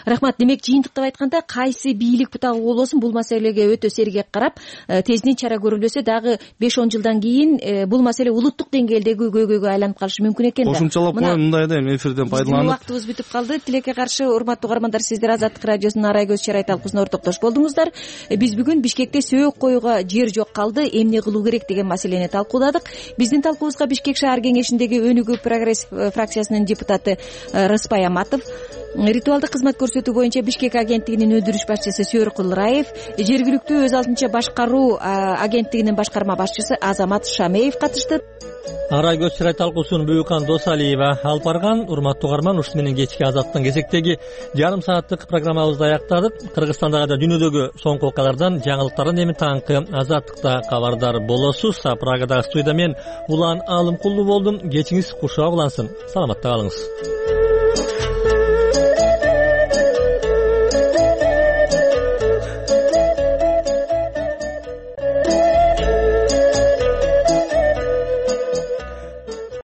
Рахмат. Демек, жыйынтыктап айтканда, кайсы бийлик бутагы болбосун бул маселеге өтө сергек карап, тезинен чара көрүлөсө дагы беш он жылдан кийин бул маселе улуттук деңгээлдеги көйгөйгө айланып калышы мүмкүн экен да. Кошумчалап коеюн мындай да, эми эфирден пайдаланып. Убактыбыз бүтүп калды. Тилекке каршы, урматтуу угармандар, сиздер Азаттык радиосунун Арай көз чарай талкуусуна ортоктош болдуңуздар. Биз бүгүн Бишкекте сөөк коюуга жер жок калды, эмне кылуу керек деген маселени талкууладык. Биздин талкуубузга Бишкек шаар кеңешиндеги Өнүгүү Прогресс фракциясынын депутаты Рыспай Аматов, ритуалдык кызмат көрсөтүү боюнча Бишкек агенттигинин өндүрүш башчысы Сөөр Кулраев, жергиликтүү өз алдынча башкаруу агенттигинин башкарма башчысы Азамат Шамеев катышты. Арай көз чарай талкуусун Бүйүкан Досалиева алып барган. Урматтуу угарман, ушуну менен кечки Азаттын кезектеги жарым сааттык программабызды аяктадык. Кыргызстандагы да дүйнөдөгү соңку окуялардан, жаңылыктардан эми таңкы Азаттыкта кабардар болосуз. Прагадагы студияда мен Улан Алымкулуу болдум. Кечиңиз кушуа улансын. Саламатта калыңыз.